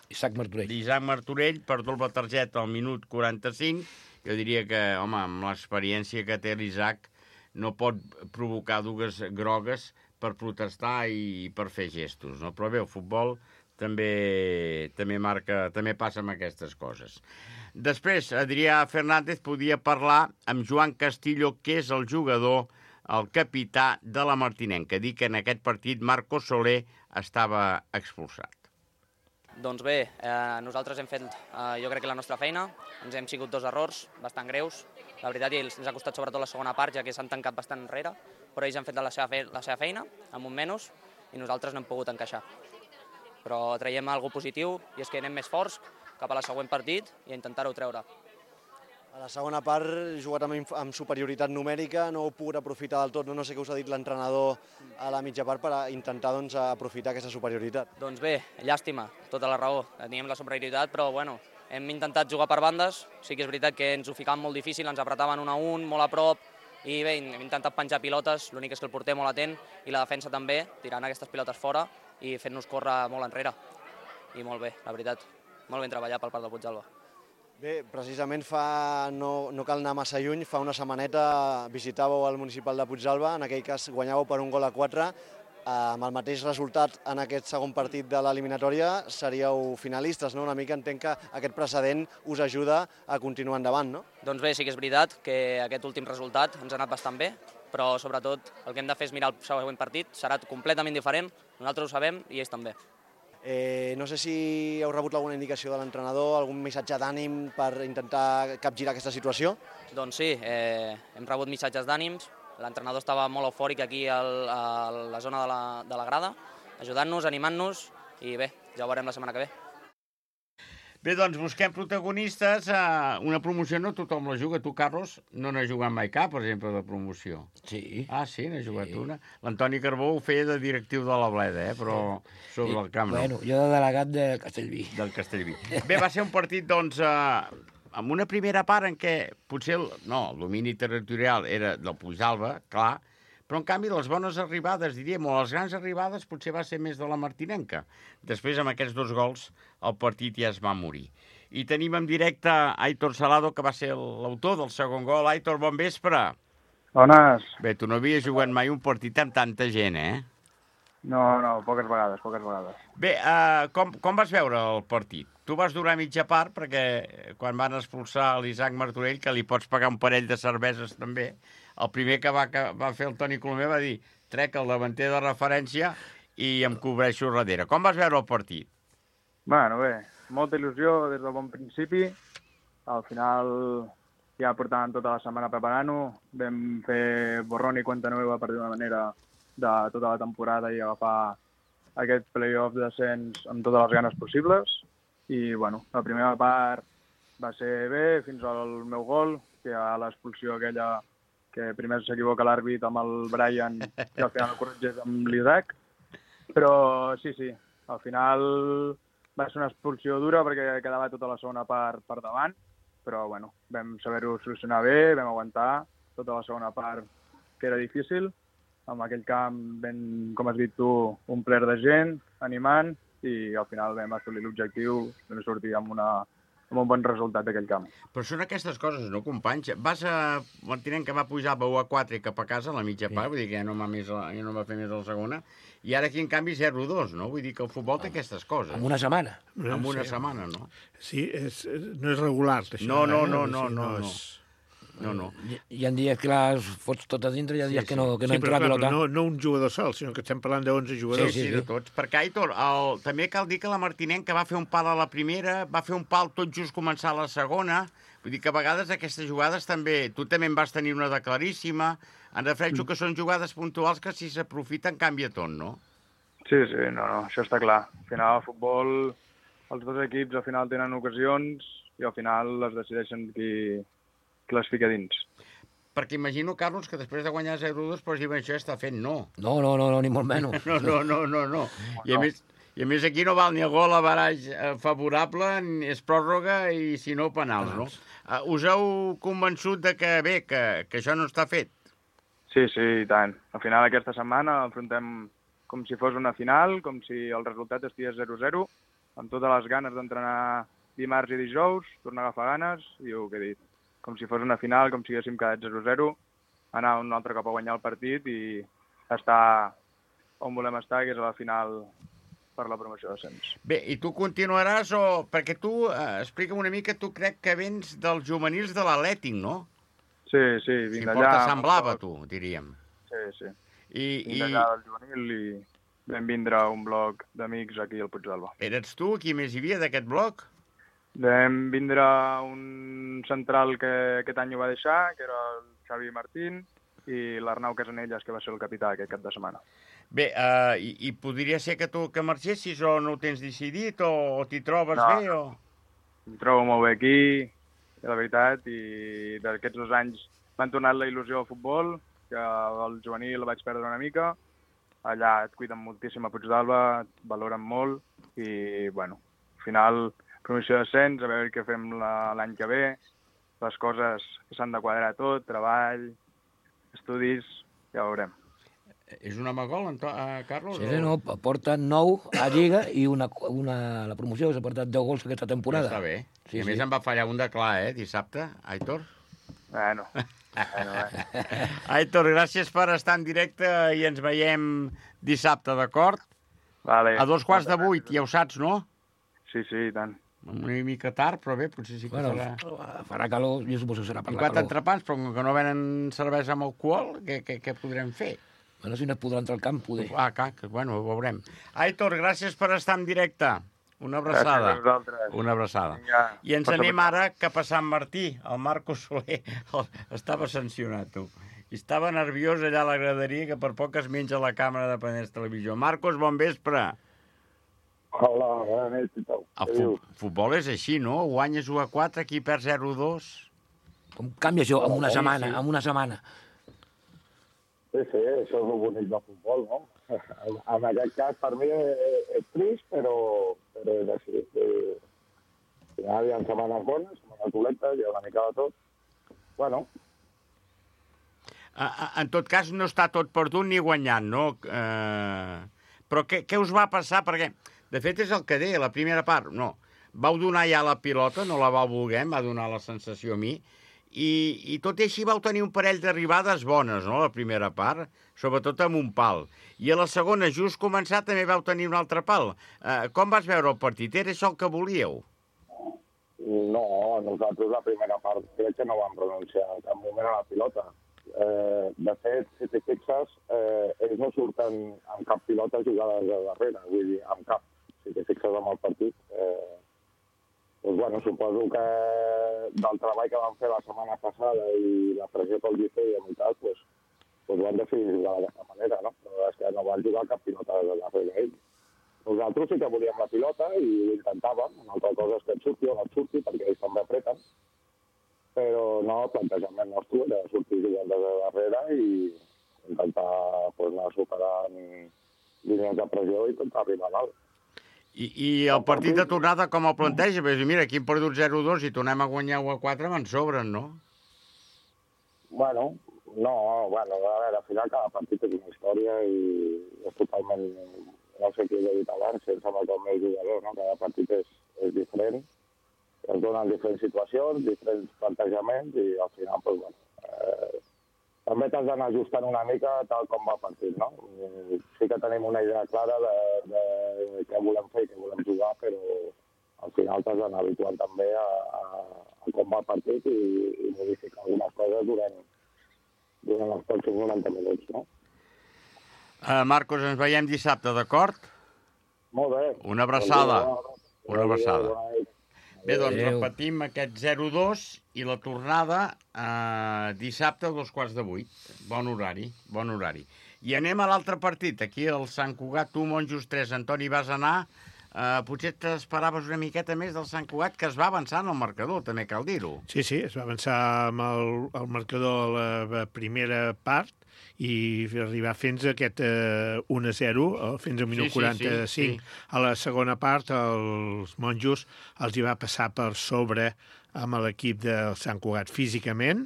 Isaac Martorell. d'Isaac Martorell per doble targeta al minut quaranta-cinc. Jo diria que, home, amb l'experiència que té l'Isaac, no pot provocar dues grogues per protestar i per fer gestos, no? Però bé, el futbol també, també, marca, també passa amb aquestes coses. Després, Adrià Fernández podia parlar amb Joan Castillo, que és el jugador, el capità de la Martinenca. Dir que en aquest partit Marco Soler estava expulsat. Doncs bé, eh, nosaltres hem fet, eh, jo crec que la nostra feina, ens hem sigut dos errors bastant greus. La veritat, ens ha costat sobretot la segona part, ja que s'han tancat bastant enrere, però ells han fet la seva, fe la seva feina, amb un menys, i nosaltres no hem pogut encaixar. Però traiem alguna cosa positiu, i és que anem més forts cap a la següent partit i a intentar-ho treure. A la segona part, jugat amb, amb superioritat numèrica, no heu pogut aprofitar del tot, no, no sé què us ha dit l'entrenador a la mitja part per a intentar doncs, aprofitar aquesta superioritat. Doncs bé, llàstima, tota la raó. Teníem la superioritat, però bueno, hem intentat jugar per bandes. Sí que és veritat que ens ho ficàvem molt difícil, ens apretaven un a un, molt a prop, I bé, hem intentat penjar pilotes, l'únic és que el porter molt atent i la defensa també, tirant aquestes pilotes fora i fent-nos córrer molt enrere. I molt bé, la veritat. Molt ben treballat per part del Puigdàlber. Bé, precisament fa, no, no cal anar massa lluny, fa una setmaneta visitàveu el municipal de Puigdàlber, en aquell cas guanyàveu per un gol a quatre, amb el mateix resultat en aquest segon partit de l'eliminatòria seríeu finalistes, no? Una mica entenc que aquest precedent us ajuda a continuar endavant, no? Doncs bé, sí que és veritat que aquest últim resultat ens ha anat bastant bé, però sobretot el que hem de fer és mirar el següent partit, serà completament diferent, nosaltres ho sabem i ells també. Eh, no sé si heu rebut alguna indicació de l'entrenador, algun missatge d'ànim per intentar capgirar aquesta situació? Doncs sí, eh, hem rebut missatges d'ànims, l'entrenador estava molt eufòric aquí al, a la zona de la, de la grada, ajudant-nos, animant-nos, i bé, ja ho veurem la setmana que ve. Bé, doncs busquem protagonistes. Una promoció no tothom la juga. Tu, Carlos, no n'has jugat mai cap, per exemple, de promoció. Sí. Ah, sí, n'has jugat sí. una. L'Antoni Carbó ho feia de directiu de la Bleda, eh? Però sobre el camp no. Bueno, jo de delegat de Castellví. Del Castellví. Bé, va ser un partit, doncs, eh, amb una primera part en què potser el, no, el domini territorial era del Puigdàlber, clar, però en canvi les bones arribades, diríem, o les grans arribades potser va ser més de la martinenca. Després, amb aquests dos gols, el partit ja es va morir. I tenim en directe Aitor Salado, que va ser l'autor del segon gol. Aitor, bon vespre. Bones. Bé, tu no havies jugat mai un partit amb tanta gent, eh? No, no, poques vegades, poques vegades. Bé, uh, com, com vas veure el partit? Tu vas durar mitja part, perquè quan van expulsar l'Isaac Martorell, que li pots pagar un parell de cerveses també, el primer que va, que va fer el Toni Colomer va dir trec el davanter de referència i em cobreixo darrere. Com vas veure el partit? Bueno, bé, molta il·lusió des del bon principi. Al final ja portàvem tota la setmana preparant-ho. Vam fer borrón i cuenta nueva, per dir una manera, de tota la temporada i agafar aquest play-off d'ascens amb totes les ganes possibles. I, bueno, la primera part va ser bé, fins al meu gol, que a l'expulsió aquella que primer s'equivoca l'àrbit amb el Brian i al final el corregeix amb l'Isaac. Però sí, sí, al final va ser una expulsió dura perquè quedava tota la segona part per davant, però bueno, vam saber-ho solucionar bé, vam aguantar tota la segona part, que era difícil. En aquell camp vam, com has dit tu, un ple de gent, animant, i al final vam assolir l'objectiu, vam sortir amb una amb un bon resultat d'aquell camp. Però són aquestes coses, no, companys? Vas a Martinenc, que va pujar a u a quatre cap a casa a la mitja part, vull dir que ja no va, més la, ja no va fer més a la segona, i ara aquí, en canvi, zero dos, no? Vull dir que el futbol té aquestes coses. En una setmana. En una sí. setmana, no? Sí, és, no és regular, això. No, no, eh? no, no, sí, no, no. És... No, no. Hi, hi ha dies que les fots totes dintre, hi ha dies Sí, que no, que no sí, entra però, la clar, pilota. no, no un jugador sol, sinó que estem parlant d'onze jugadors. Sí, sí, de tots. Perquè, Aitor, el, també cal dir que la Martinenca va fer un pal a la primera, va fer un pal tot just començar la segona. Vull dir que a vegades aquestes jugades també... Tu també en vas tenir una de claríssima. En refereixo que són jugades puntuals que si s'aprofiten canvia tot, no? Sí, sí, no, no, això està clar. Al final, el futbol, els dos equips al final tenen ocasions i al final les decideixen qui, qui les fica dins. Perquè imagino, Carlos, que després de guanyar zero dos, però diuen això està fent no. No, no, no, no, ni molt menys. No, no, no, no, no. I a més, i a més aquí no val ni el gol a baraix favorable, ni és pròrroga i si no penals, no? Uh, us heu convençut de que, bé, que, que això no està fet? Sí, sí, i tant. Al final aquesta setmana enfrontem com si fos una final, com si el resultat estigués zero zero, amb totes les ganes d'entrenar dimarts i dijous, tornar a agafar ganes i el que he dit. Com si fos una final, com si haguéssim quedat zero zero, anar un altre cop a guanyar el partit i estar on volem estar, que és a la final per la promoció d'ascens. Bé, i tu continuaràs o... Perquè tu, eh, explica'm una mica, tu crec que vens dels juvenils de l'Atlètic, no? Sí, sí, vinc si d'allà. Si porta semblava, tu, diríem. Sí, sí. I, vinc i... d'allà del juvenil i vam vindre un bloc d'amics aquí al Puigdàlber. Eres tu? Qui més hi havia d'aquest bloc? Vam vindre un central que aquest any ho va deixar, que era el Xavi Martín, i l'Arnau Casanelles, que va ser el capità aquest cap de setmana. Bé, uh, i, i podria ser que tu que marxessis o no ho tens decidit o, o t'hi trobes no, bé? O... Em trobo molt bé aquí, la veritat, i d'aquests dos anys m'han tornat la il·lusió al futbol, que el juvenil el vaig perdre una mica. Allà et cuiden moltíssim a Puigdàlber, et valoren molt, i, bueno, al final, promoció d'ascens, a veure què fem l'any que ve, les coses que s'han de quadrar tot, treball, estudis, ja ho veurem. És un home gol, uh, Carlos? Sí, no, porta nou a Lliga i una, una, la promoció s'ha portat deu gols aquesta temporada. Ja està bé. Sí, I a sí. més em va fallar un de clar, eh, dissabte, Aitor? Bueno, bueno, bueno. Aitor, gràcies per estar en directe i ens veiem dissabte, d'acord? Vale. A dos quarts de vuit, ja ho saps, no? Sí, sí, i tant. Una mica tard, però bé, potser sí que Bueno, serà... farà calor, jo suposo que serà per I la quatre calor. entrepans, però com que no venen cervesa amb alcohol, què, què, què podrem fer? Bueno, si no es podrà entrar al camp, poder. Ah, clar, que, bueno, ho veurem. Aitor, gràcies per estar en directe. Una abraçada. Gràcies a vosaltres. Una abraçada. Vinga, I ens passa anem per- ara cap a Sant Martí. El Marco Soler el, estava sancionat, tu. I estava nerviós allà a la graderia, que per poc es menja la càmera de Penedès Televisió. Marcos, bon vespre. Hola, bona nit, i tal. El fu futbol és així, no? Guanyes u a quatre, aquí perd zero a dos. Com canvia això en una Sí, setmana, sí. en una setmana? Sí, sí, això és el bonic del futbol, no? En aquest cas, per mi, és, és trist, però, però és així. Al final hi ha setmanes bones, setmanes dolentes, hi ha una mica de tot. Bueno, En tot cas, no està tot perdut ni guanyant, no? Eh, però què, què us va passar? Perquè, de fet, és el que deia, la primera part, no. Vau donar ja la pilota, no la vau voler, em va donar la sensació a mi, i, i tot i així vau tenir un parell d'arribades bones, no?, la primera part, sobretot amb un pal. I a la segona, just començar, també vau tenir un altre pal. Eh, com vas veure el partit? Era això el que volíeu? no, nosaltres la primera part crec que no vam pronunciar en cap moment a la pilota. Eh, de fet, si t'hi fixes, eh, ells no surten amb cap pilota jugades de darrere, vull dir, amb cap. Si t'hi fixes amb el partit, eh, doncs, bueno, suposo que del treball que van fer la setmana passada i la pressió que els hi feien i tal, doncs, doncs van decidir jugar d'aquesta manera, no? Però és que no van jugar cap pilota de darrere ells. Nosaltres sí que volíem la pilota i ho intentàvem. Una altra cosa és que et surti o no et surti, perquè ells també apreten. Però no, el plantejament nostre era sortir jugant des de darrere i intentar pues, anar superant línies de pressió i intentar arribar a dalt. I, I el partit de tornada com el planteja? Perquè, mira, aquí hem perdut zero a dos i tornem a guanyar u a quatre, me'n sobren, no? Bueno, no, bueno, a veure, al final cada partit és una història i és totalment, no sé què he dit abans, sense amb el meu jugador, no? Cada partit és, és diferent, es donen diferents situacions, diferents plantejaments i al final, doncs, bueno, eh, també t'has d'anar ajustant una mica tal com va el partit, no? Sí que tenim una idea clara de, de què volem fer i què volem jugar, però al final t'has d'anar habituant també a, a, a com va el partit i, i modificar algunes coses durant, durant els pròxims noranta minuts, no? Uh, Marcos, ens veiem dissabte, d'acord? Molt bé. Una abraçada. Una abraçada. Bona nit. Bé, doncs Adéu. repetim aquest zero a dos i la tornada eh, dissabte a dos quarts de vuit. Bon horari, bon horari. I anem a l'altre partit, aquí al Sant Cugat, tu, Monjos tres, Antoni, vas anar. Eh, potser t'esperaves una miqueta més del Sant Cugat, que es va avançar en el marcador, també cal dir-ho. Sí, sí, es va avançar amb el, el marcador a la primera part i arribar fins a aquest eh, un a zero, eh, fins al minut Sí, sí, quaranta-cinc. sí, sí. A la segona part, els monjos els hi va passar per sobre amb l'equip del Sant Cugat físicament.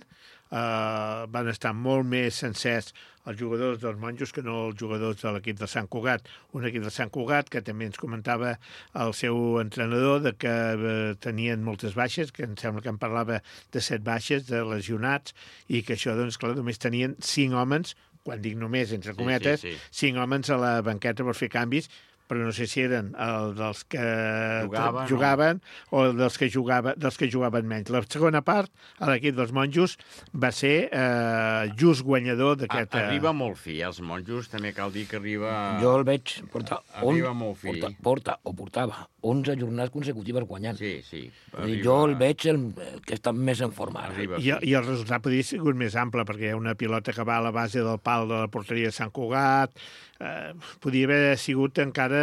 Uh, van estar molt més sencers els jugadors dels monjos que no els jugadors de l'equip de Sant Cugat. Un equip de Sant Cugat que també ens comentava el seu entrenador de que uh, tenien moltes baixes, que em sembla que em parlava de set baixes, de lesionats, i que això, doncs, clar, només tenien cinc homes, quan dic només, entre cometes, sí, sí. cinc homes a la banqueta per fer canvis, però no sé si eren el dels que Jugaven, jugaven o dels que, jugava, dels que jugaven menys. La segona part, a l'equip dels monjos, va ser eh, just guanyador d'aquest... A, arriba molt fi, els monjos, també cal dir que arriba... Jo el veig portar... Arriba molt fi. Porta, porta, o portava onze jornades consecutives guanyant. Sí, sí. Arriba... Jo el veig el, el que està més en forma. Arriba I, I el resultat podria ser sigut més ample, perquè hi ha una pilota que va a la base del pal de la porteria de Sant Cugat. Eh, podria haver sigut encara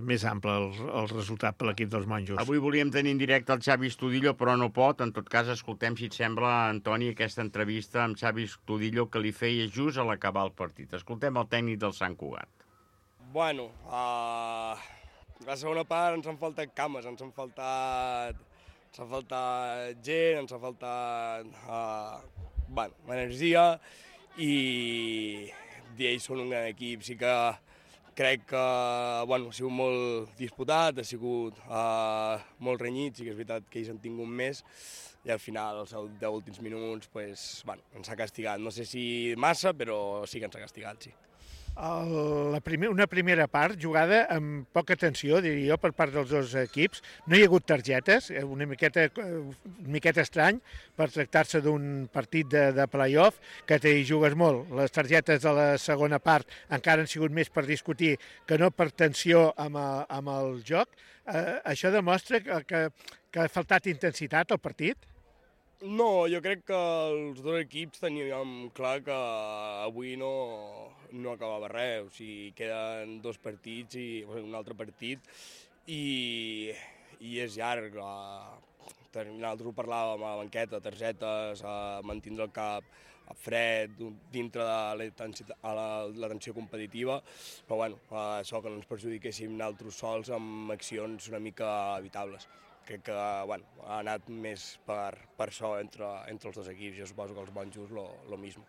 més ample el, el resultat per l'equip dels monjos. Avui volíem tenir en directe el Xavi Estudillo, però no pot. En tot cas, escoltem, si et sembla, Antoni, aquesta entrevista amb Xavi Estudillo que li feia just a l'acabar el partit. Escoltem el tècnic del Sant Cugat. Bueno, uh, la segona part ens han faltat cames, ens han faltat, ens ha faltat gent, ens ha faltat uh, bueno, energia, i ells són un gran equip. Sí que crec que bueno, ha sigut molt disputat, ha sigut uh, molt renyit, sí que és veritat que ells han tingut més, i al final, els deu últims minuts, pues, bueno, ens ha castigat. No sé si massa, però sí que ens ha castigat, sí. El, la primer, una primera part jugada amb poca tensió, diria jo, per part dels dos equips. No hi ha hagut targetes, una miqueta, una miqueta estrany per tractar-se d'un partit de, de play-off, que t'hi jugues molt. Les targetes de la segona part encara han sigut més per discutir que no per tensió amb el, amb el joc. Eh, això demostra que, que, que ha faltat intensitat al partit? No, jo crec que els dos equips teníem clar que avui no, no acabava res, o sigui, queden dos partits i un altre partit i, i és llarg. Nosaltres ho parlàvem a la banqueta, targetes, a mantindre el cap fred, dintre de la, la, la tensió competitiva, però bueno, això que no ens perjudiquéssim nosaltres sols amb accions una mica evitables. Crec que bueno, ha anat més per, per això entre, entre els dos equips. Jo suposo que els monjos lo, lo mismo.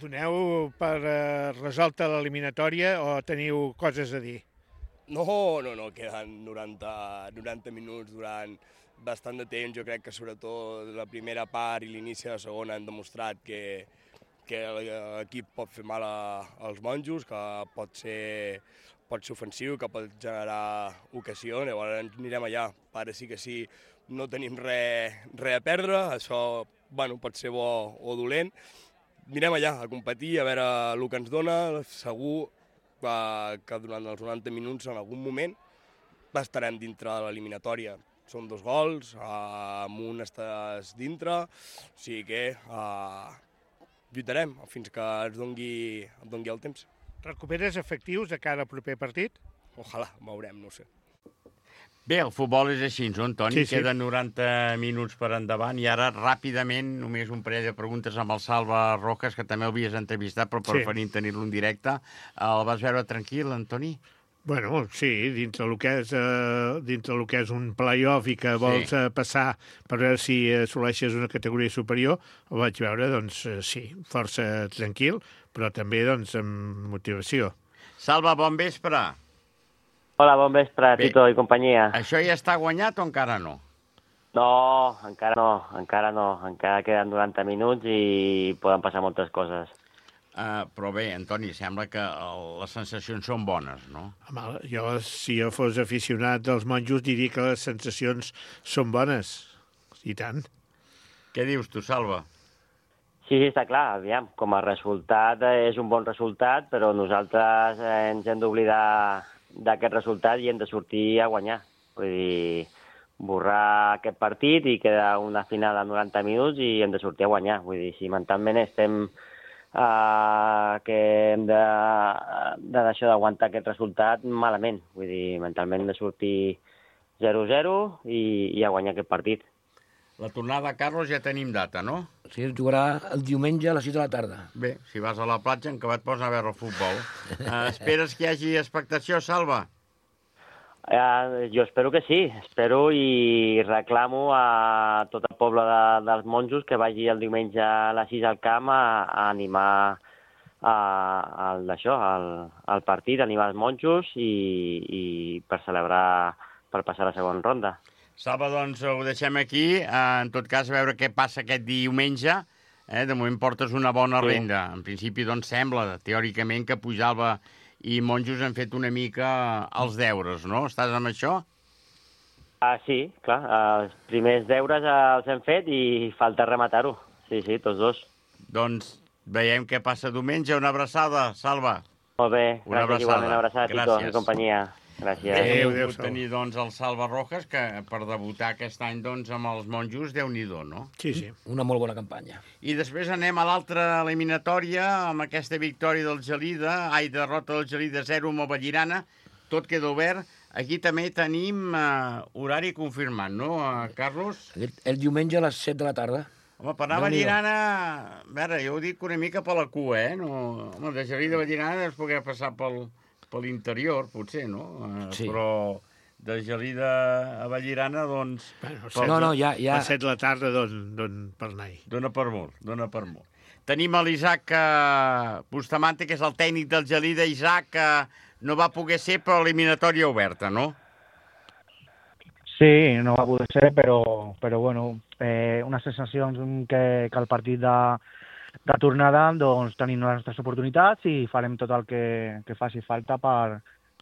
Doneu per eh, resolta l'eliminatòria o teniu coses a dir? No, no, no, queden noranta, noranta minuts durant bastant de temps. Jo crec que sobretot la primera part i l'inici de la segona han demostrat que, que l'equip pot fer mal a, als monjos, que pot ser... pot ser ofensiu, que pot generar ocasió, llavors anirem allà. Ara sí que sí, no tenim res, res a perdre, això bueno, pot ser bo o dolent. Anirem allà a competir, a veure el que ens dona, segur que durant els noranta minuts en algun moment estarem dintre de l'eliminatòria. Són dos gols, amb un estàs dintre, o sigui que uh, lluitarem fins que ens dongui, ens dongui el temps. Recuperes efectius de cara al proper partit? Ojalà, veurem, no ho sé. Bé, el futbol és així, no, Antoni? Sí, sí. Queden noranta minuts per endavant i ara, ràpidament, només un parell de preguntes amb el Salva Rojas, que també l'havies entrevistat, però preferint sí. tenir-lo en directe. El vas veure tranquil, Antoni? Bueno, sí, dintre el que és, eh, dintre el que és un play-off i que vols sí. eh, passar per veure si assoleixes una categoria superior, ho vaig veure, doncs, eh, sí, força tranquil, però també, doncs, amb motivació. Salva, bon vespre. Hola, bon vespre, Bé, Tito i companyia. Això ja està guanyat o encara no? No, encara no, encara no. Encara queden noranta minuts i poden passar moltes coses. Uh, però bé, Antoni, sembla que el, les sensacions són bones, no? Home, jo, si jo fos aficionat dels monjos, diria que les sensacions són bones. I tant. Què dius tu, Salva? Sí, sí, està clar, aviam, com a resultat és un bon resultat, però nosaltres ens hem d'oblidar d'aquest resultat i hem de sortir a guanyar. Vull dir, borrar aquest partit i queda una final a noranta minuts i hem de sortir a guanyar. Vull dir, si mentalment estem uh, que hem de, de deixar d'aguantar aquest resultat malament. Vull dir, mentalment hem de sortir zero zero i, i a guanyar aquest partit. La tornada, Carlos, ja tenim data, no? Sí, es jugarà el diumenge a les sis de la tarda. Bé, si vas a la platja, en què et pots anar a veure el futbol. Uh, esperes que hi hagi expectació, Salva? Uh, jo espero que sí. Espero i reclamo a tot el poble de, dels monjos que vagi el diumenge a les sis al camp a, a animar a, a, això, al, al partit, animar els monjos i, i per celebrar, per passar la segona ronda. Salva, doncs ho deixem aquí. En tot cas, a veure què passa aquest diumenge. Eh? De moment portes una bona renda. En principi, doncs, sembla, teòricament, que Pujalba i monjos han fet una mica els deures, no? Estàs amb això? Ah, sí, clar. Els primers deures els hem fet i falta rematar-ho. Sí, sí, tots dos. Doncs veiem què passa diumenge. Una abraçada, Salva. Molt bé. Una gràcies, igualment. Una abraçada, Tito, i companyia. Gràcies. Adéu, adéu, tenir, doncs, el Salva Rojas, que per debutar aquest any, doncs, amb els monjos, Déu-n'hi-do, no? Sí, sí. Una molt bona campanya. I després anem a l'altra eliminatòria, amb aquesta victòria del Gelida, ai, derrota del Gelida zero amb el Vallirana, tot queda obert. Aquí també tenim uh, horari confirmat, no, uh, Carlos? El, el diumenge a les set de la tarda. Home, per anar a Vallirana, a veure, jo ho dic una mica per la cua, eh? No, home, de Gelida a Vallirana es poder passar pel... per l'interior, potser, no? Sí. Però de Gelida a Vallirana, doncs... Bueno, no, no, ja... ja... A set de la tarda don per anar-hi. Dóna per molt, dóna per molt. Tenim l'Isaac Bustamante, que és el tècnic del Gelida. Isaac, que no va poder ser per eliminatòria oberta, no? Sí, no va poder ser, però, però bueno, eh, unes sensacions que, que el partit de, de tornada doncs, tenim les nostres oportunitats i farem tot el que, que faci falta per,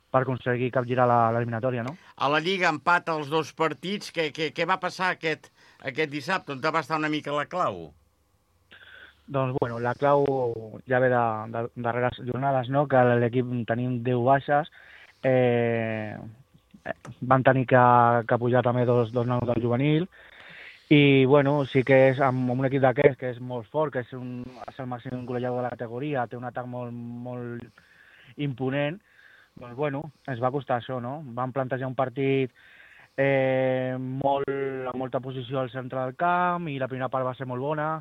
per aconseguir capgirar l'eliminatòria, no? A la Lliga empat els dos partits. Què, què, què va passar aquest, aquest dissabte? On va estar una mica la clau? Doncs, bueno, la clau ja ve de, de, de darreres jornades, no?, que l'equip tenim deu baixes, eh, van tenir que, que pujar també dos, dos nanos del juvenil, i, bueno, sí que és amb un equip d'aquest, que és molt fort, que és, un, és el màxim golejador de la categoria, té un atac molt, molt imponent, doncs, bueno, ens va costar això, no? Vam plantejar un partit eh, molt, amb molta posició al centre del camp, i la primera part va ser molt bona,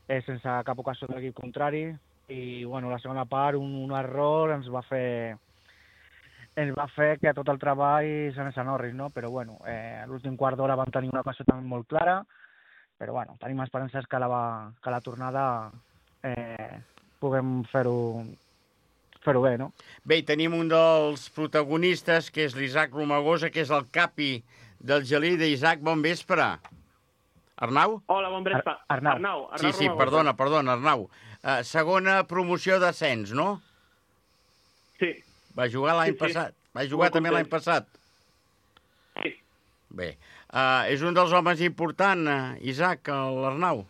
eh, sense cap ocasió de l'equip contrari, i, bueno, la segona part, un, un error, ens va fer... ens va fer que tot el treball s'anés a Norris, no? Però, bueno, eh, a l'últim quart d'hora vam tenir una ocasió també molt clara, però, bueno, tenim esperances que la, va, que la tornada eh, puguem fer-ho fer-ho bé, no? Bé, tenim un dels protagonistes, que és l'Isaac Romagosa, que és el capi del Gelida. Isaac, bon vespre. Arnau? Hola, bon vespre. Ar Arnau. Arnau, Arnau sí, sí, Romagosa. perdona, perdona, Arnau. Uh, segona promoció d'ascens, no? Sí. Va jugar l'any Sí, sí. passat. Va jugar Molt també l'any content. passat. Sí. Bé. Uh, és un dels homes importants, uh, Isaac, l'Arnau.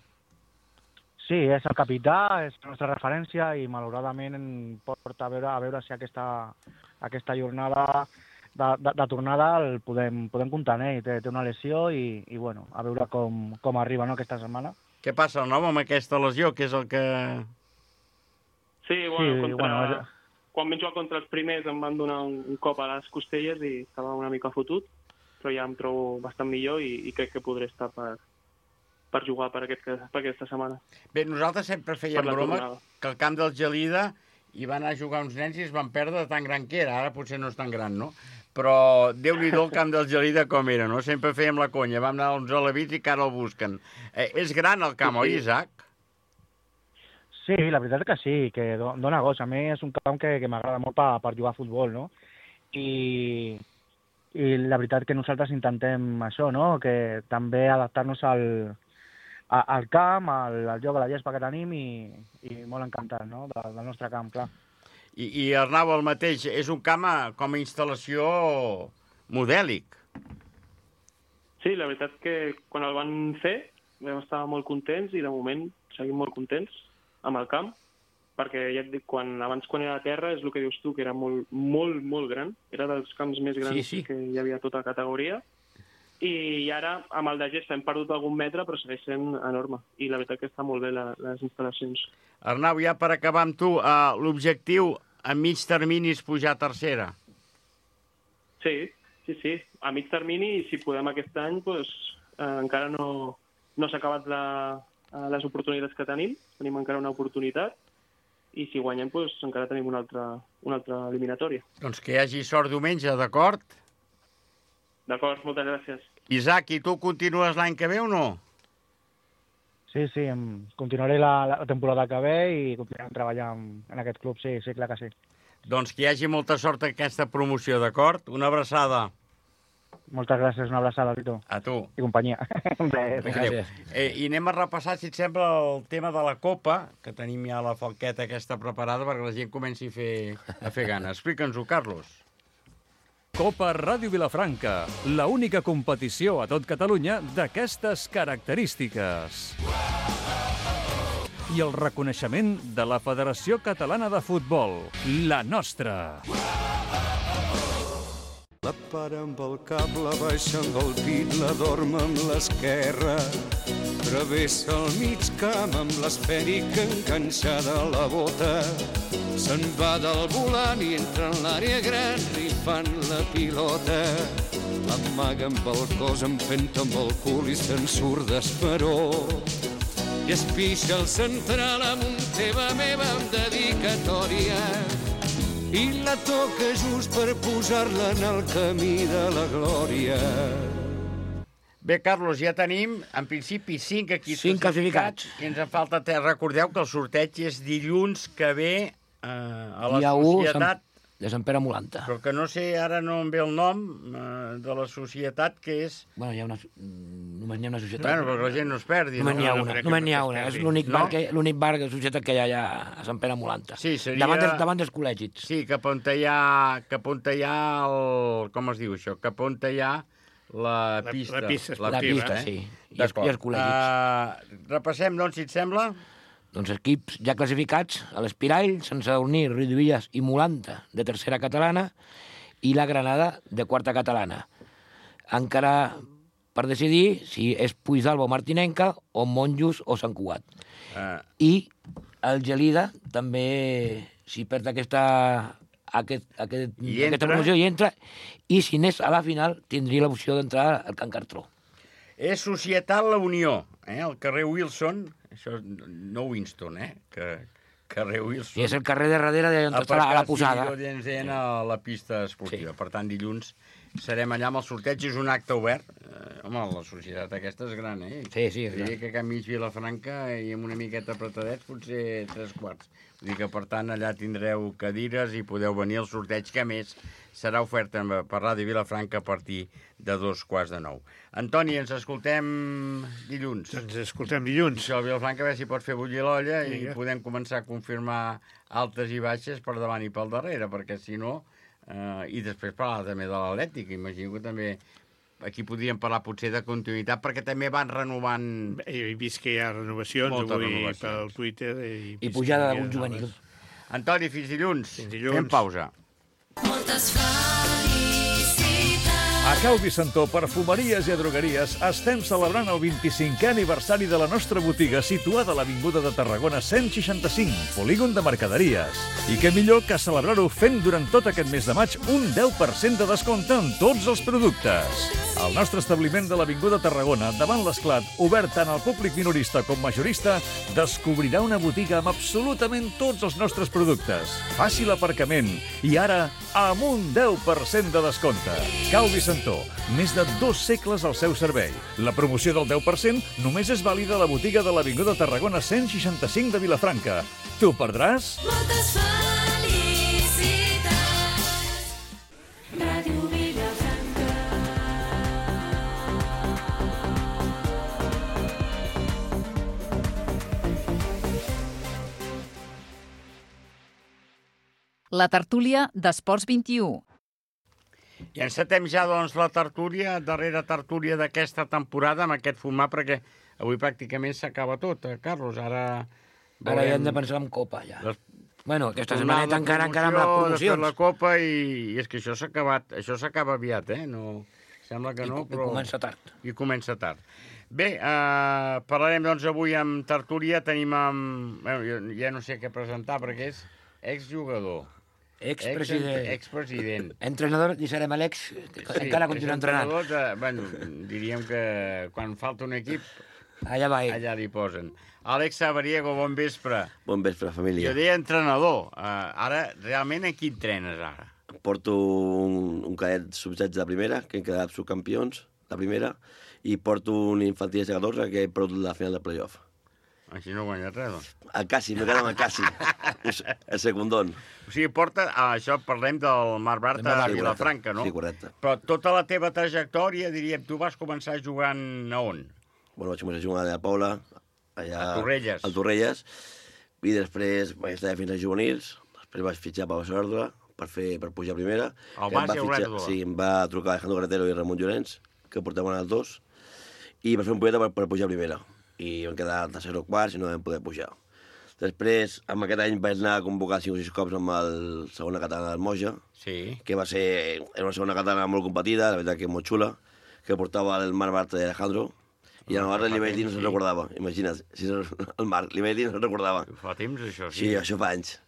Sí, és el capità, és la nostra referència i malauradament em porta a veure, a veure si aquesta, aquesta jornada de, de, de tornada el podem, podem comptar en ell. Té, té una lesió i, i bueno, a veure com, com arriba, no, aquesta setmana. Què passa, el nom, amb aquesta lesió, que és el que... Sí, bueno, Sí, contra... bueno, és- quan vam jugar contra els primers em van donar un, un cop a les costelles i estava una mica fotut, però ja em trobo bastant millor i, i crec que podré estar per, per jugar per, aquest, per aquesta setmana. Bé, nosaltres sempre fèiem Per la broma tornada. que al camp del Gelida hi van anar a jugar uns nens i es van perdre de tan gran que era. Ara potser no és tan gran, no? Però Déu-n'hi-do el camp del Gelida com era, no? Sempre fèiem la conya. Vam anar uns alevits i que ara el busquen. Eh, és gran el camp, Sí, oi, sí. Isaac? Sí, la veritat és que sí, que do- dona goig. A mi és un camp que, que m'agrada molt per, per jugar a futbol, no? I, I la veritat que nosaltres intentem això, no? Que també adaptar-nos al, a, al camp, al, al joc, a la gespa que tenim i, i molt encantat, no? De, del nostre camp, clar. I, I Arnau, el mateix, és un camp a- com a instal·lació modèlic. Sí, la veritat que quan el van fer vam estar molt contents i de moment seguim molt contents amb el camp, perquè ja et dic, quan, abans quan era a terra és el que dius tu, que era molt, molt, molt gran, era dels camps més grans Sí, sí. que hi havia a tota la categoria, i ara amb el de gespa hem perdut algun metre però segueix sent enorme, i la veritat que està molt bé la, les instal·lacions. Arnau, ja per acabar amb tu, uh, l'objectiu a mig termini és pujar a tercera. Sí, sí, sí, a mig termini, i si podem aquest any, doncs, eh, encara no, no s'ha acabat la, eh, les oportunitats que tenim, tenim encara una oportunitat, i si guanyem, doncs, encara tenim una altra, una altra eliminatòria. Doncs que hi hagi sort diumenge, d'acord? D'acord, moltes gràcies. Isaac, i tu continues l'any que ve o no? Sí, sí, em, continuaré la, la temporada que ve i continuarem treballant en aquest club, sí, sí, clar que sí. Doncs que hi hagi molta sort en aquesta promoció, d'acord? Una abraçada. Moltes gràcies, una abraçada, Tito. A tu. I companyia. Bé, Adéu. Eh, I anem a repassar, si et sembla, el tema de la Copa, que tenim ja la falqueta aquesta preparada perquè la gent comenci a fer, a fer gana. Explica'ns-ho, Carlos. Copa Ràdio Vilafranca, la única competició a tot Catalunya d'aquestes característiques. I el reconeixement de la Federació Catalana de Futbol, la nostra. La para amb el cap, la baixa amb el pit, la dorm amb l'esquerra. Travessa el mig camp amb l'esfèrica enganxada a la bota. Se'n va del volant i entra en l'àrea gran rifant la pilota. L'amaga amb el cos, empenta amb el cul i se'n surt d'esperó. I es pixa el central amb un teva meva amb dedicatòria. i la toca just per posar-la en el camí de la glòria. Bé, Carlos, ja tenim, en principi, cinc equips Cinc classificats. I ens en falta tres. Recordeu que el sorteig és dilluns que ve eh, a la Dia u, societat... de Sant Pere Molanta. Però que no sé, ara no em ve el nom eh, de la societat, que és... Bueno, hi ha una... Només n'hi ha una societat. Bueno, perquè la gent no es perdi. Només n'hi ha no? una, només n'hi ha una. És l'únic No? bar, que, l'únic bar de societat que hi ha allà a Sant Pere Molanta. Sí, seria... Davant, dels, davant dels col·legis. Sí, cap on hi ha... Cap on hi ha el... Com es diu això? Cap on hi ha la pista. La pista La pista, sí. I els, i els col·legis. Uh, repassem, doncs, si et sembla. Doncs equips ja classificats, a l'Espirall, Sant Sadurní, Riudebitlles i Molanta, de tercera catalana, i la Granada, de quarta catalana. Encara per decidir si és Puigdàlber o Martinenca, o Monjos o Sant Cugat. Uh. I el Gelida també, si perd aquesta, aquest, aquest, aquesta promoció, hi entra, i si n'és a la final, tindria l'opció d'entrar al Can Cartró. És Societat La Unió, eh? Al carrer Wilson, això no Winston, eh? Que, carrer Wilson. I és el carrer de darrere d'on està la, a la posada. A ens deien a la pista esportiva. Sí. Per tant, dilluns serem allà amb el sorteig. És un acte obert. Eh, home, la societat aquesta és gran, eh? Sí, sí, és gran. gran. Que a Can Mig Vilafranca i amb una miqueta apretadets, potser tres quarts. Vull dir que, per tant, allà tindreu cadires i podeu venir al sorteig, que a més serà ofert per Ràdio Vilafranca a partir de dos quarts de nou. Antoni, ens escoltem dilluns. Ens escoltem dilluns. Això, el Vilafranca, a veure si pot fer bullir l'olla i Vinga. podem començar a confirmar altes i baixes per davant i pel darrere, perquè si no... Eh, I després parlar també de l'Atlètic. Imagino que també aquí podríem parlar potser de continuïtat, perquè també van renovant... He vist que hi ha renovacions Moltes avui renovacions. pel Twitter. I, I pujada d'algun juvenil. Antoni, fins dilluns. Fins dilluns. Fem pausa. Moltes felicitats. A Cal Vicentó, perfumeries i drogueries, estem celebrant el vint-i-cinquè aniversari de la nostra botiga situada a l'Avinguda de Tarragona cent seixanta-cinc, polígon de mercaderies. I què millor que celebrar-ho fent durant tot aquest mes de maig un deu per cent de descompte en tots els productes. El nostre establiment de l'Avinguda Tarragona, davant l'Esclat, obert tant al públic minorista com majorista, descobrirà una botiga amb absolutament tots els nostres productes. Fàcil aparcament i ara amb un deu per cent de descompte. Cal Vicentó, més de dos segles al seu servei. La promoció del deu per cent només és vàlida a la botiga de l'Avinguda Tarragona cent seixanta-cinc de Vilafranca. T'ho perdràs? Moltes felicitats. Ràdio Vilafranca. La tertúlia d'Esports vint-i-u. I encetem ja, doncs, la tertúlia, darrera tertúlia d'aquesta temporada amb aquest format, perquè avui pràcticament s'acaba tot, eh, Carlos. Ara... Ara ja hem de pensar en Copa, ja. Les... Bueno, aquesta Tornada setmaneta encara, encara amb les promoció, promocions. després la Copa, i, i és que això s'ha acabat, això s'acaba aviat, eh? No... Sembla que I, no, I però... comença tard. I comença tard. Bé, eh, parlarem, doncs, avui amb tertúlia. Tenim amb... Bueno, jo ja no sé què presentar, perquè és exjugador. Expresident. Expresident. Entrenador, i serem l'ex, que sí, encara continua entrenant. De, bueno, diríem que quan falta un equip, allà va ell. Allà li posen. Àlex Sabariego, bon vespre. Bon vespre, família. Jo deia entrenador. Uh, ara, realment, a qui entrenes ara? Porto un, un cadet sub setze de primera, que hem quedat subcampions de primera, i porto un infantil de catorze, que he perdut la final de playoff. Així no guanyes res, doncs. El Cassi, m'he quedat amb el Cassi. El secundón. O sigui, porta... Ah, això parlem del Marc Bartra i Vilafranca, no? Sí, correcte. Però tota la teva trajectòria, diríem, tu vas començar jugant a on? Bueno, vaig començar a jugar a la Paula, allà... A Torrelles. A Torrelles. I després vaig estar fins a juvenils. Després vaig fitxar per Basordre per, fer, per pujar a primera. El Bas i Olèrdula. Sí, em va trucar Alejandro Carretero i Ramon Llorenç, que portaven els dos, i per fer un poeta per, per pujar a primera. I vam quedar al tercer o quart i no vam poder pujar. Després, en aquest any vaig anar a convocar cinc o sis cops amb el segona catalana del Moja, sí. Que va ser era una segona catalana molt competida, la veritat que molt xula, que portava el Marc Bartra i Alejandro, i a Navarra li vaig dir no se'n recordava. Imagina't, si el Marc li vaig dir no se'n recordava. Fa temps, això, sí. Sí, això fa anys.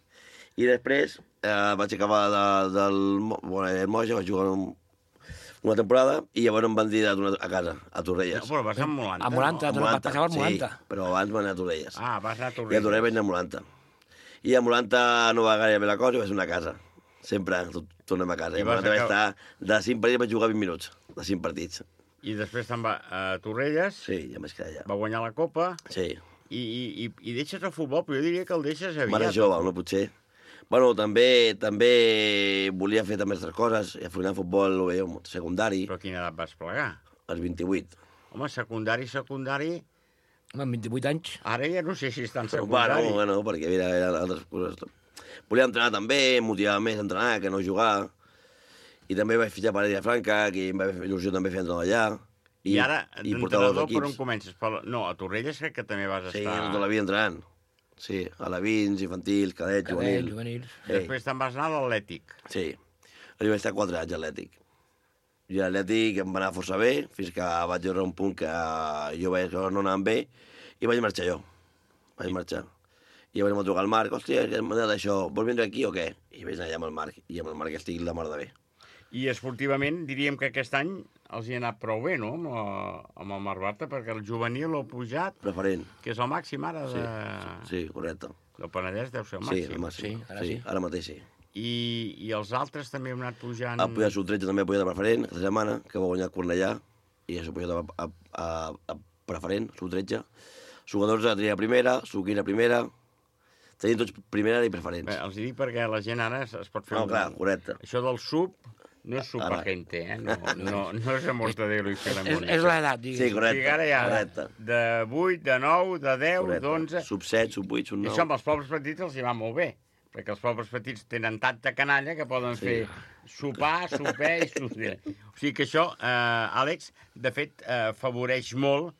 I després eh, vaig acabar de, del, bueno, del Moja, vaig jugar un, una temporada i llavors em van dir de tornar a casa, a Torrelles. No, però vas a Molanta. A Molanta, no? Vas passar per Molanta. Sí, però abans van anar a Torrelles. Ah, vas anar a Torrelles. I a Torrelles vaig anar a Molanta. I a Molanta no va gaire bé la cosa i va ser una casa. sempre tornem a casa. I I vas vam acabar- estar... De cinc partits vaig jugar vint minuts, de cinc partits. I després te'n va a Torrelles. Sí, ja m'he quedat allà. Va guanyar la Copa. Sí. I, i, i, i deixes el futbol, però jo diria que el deixes aviat. Mare jove, no potser. Bueno, també també volia fer també altres coses. I al final el futbol ho veia secundari. Però a quina edat vas plegar? Als vint-i-vuit. Home, secundari, secundari... Home, amb vint-i-vuit anys. Ara ja no sé si és tan Bueno, secundari. bueno, perquè mira, eren altres coses. Volia entrenar també, em motivava més a entrenar que no jugar. I també vaig fitxar per Vilafranca, que em va fer il·lusió també fer entrenador allà. I, I ara, i portava d'entrenador, dos per on equips. comences? Per... No, a Torrelles crec que també vas Sí, estar... tota la vida entrenant. Sí, a la Vins, infantil, cadet, Cadet, juvenil. juvenils. Després te'n vas anar a l'Atlètic. Sí, jo vaig estar quatre anys a l'Atlètic. I a l'Atlètic em va anar força bé, fins que vaig arribar a un punt que jo veia que no anàvem bé, i vaig marxar jo. Vaig marxar. I llavors em va trucar el Marc, hòstia, que m'ha dit això, vols vindre aquí o què? I vaig anar allà amb el Marc, i amb el Marc estic la mar de bé. I esportivament diríem que aquest any els hi ha anat prou bé, no?, amb, la, amb el Mar Bartra, perquè el juvenil l'ha pujat... Preferent. Que és el màxim ara de... Sí, sí, correcte. El Penedès deu ser el Sí, màxim. el màxim. Sí, ara sí, sí. ara mateix sí. I, I els altres també han anat pujant... Ha pujat sub tretze també ha pujat a preferent, aquesta setmana, que va guanyar Cornellà, i això ha pujat a, a, a, a preferent, sub tretze. Sub catorze tenia primera, sub quinze primera, tenim tots primera i preferents. Bé, els hi dic perquè la gent ara es, es pot fer... No, clar, correcte. Això del sub no és subagente, eh? No, no, no és a Mortadelo i Filemón. És, és l'edat, digues. Sí, correcte, O sigui, ara hi ha correcte. de vuit, de nou, de deu, d'onze... Sub set, sub vuit, sub I nou. això amb els pobles petits els hi va molt bé, perquè els pobles petits tenen tanta canalla que poden Sí. fer sopar, sopar i sopar. O sigui que això, eh, Àlex, de fet, eh, favoreix molt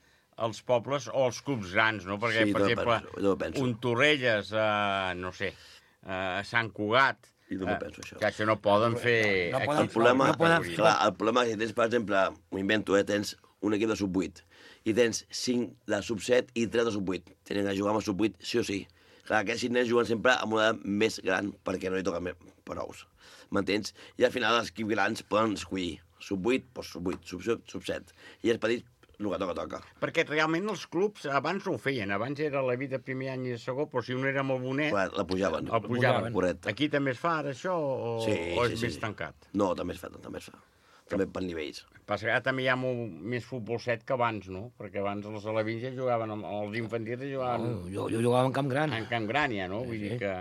els pobles o els clubs grans, no? Perquè, Sí, per també exemple, penso, jo penso. un Torrelles, eh, no sé, eh, Sant Cugat, I també eh, penso això. que això no poden fer... No aquí, poden- El problema, no poden- clar, el problema és que tens, per exemple, m'ho invento, eh, tens un equip de sub vuit i tens cinc de sub set i tres de sub vuit. Tenen que jugar amb el sub vuit sí o sí. Clar, aquests cinc nens juguen sempre amb una edat més gran perquè no hi toquen més prous. M'entens? I al final els equips grans poden escollir sub vuit, doncs sub vuit, sub, sub, sub set. I els petits, el que toca, toca. Perquè realment els clubs abans no ho feien. Abans era la vida primer any i segon, però si un era molt bonet... Clar, la pujaven. El pujaven. Correcte. Aquí també es fa ara això o, Sí, o sí, és sí, més sí. tancat? No, també es fa, també es fa. També per nivells. Passa que ara també hi ha molt més futbol set que abans, no? Perquè abans els alevins ja jugaven, amb- els infantils ja jugaven... No, jo, jo jugava en Camp Gran. En Camp Gran, ja, no? Sí, Vull sí. dir que...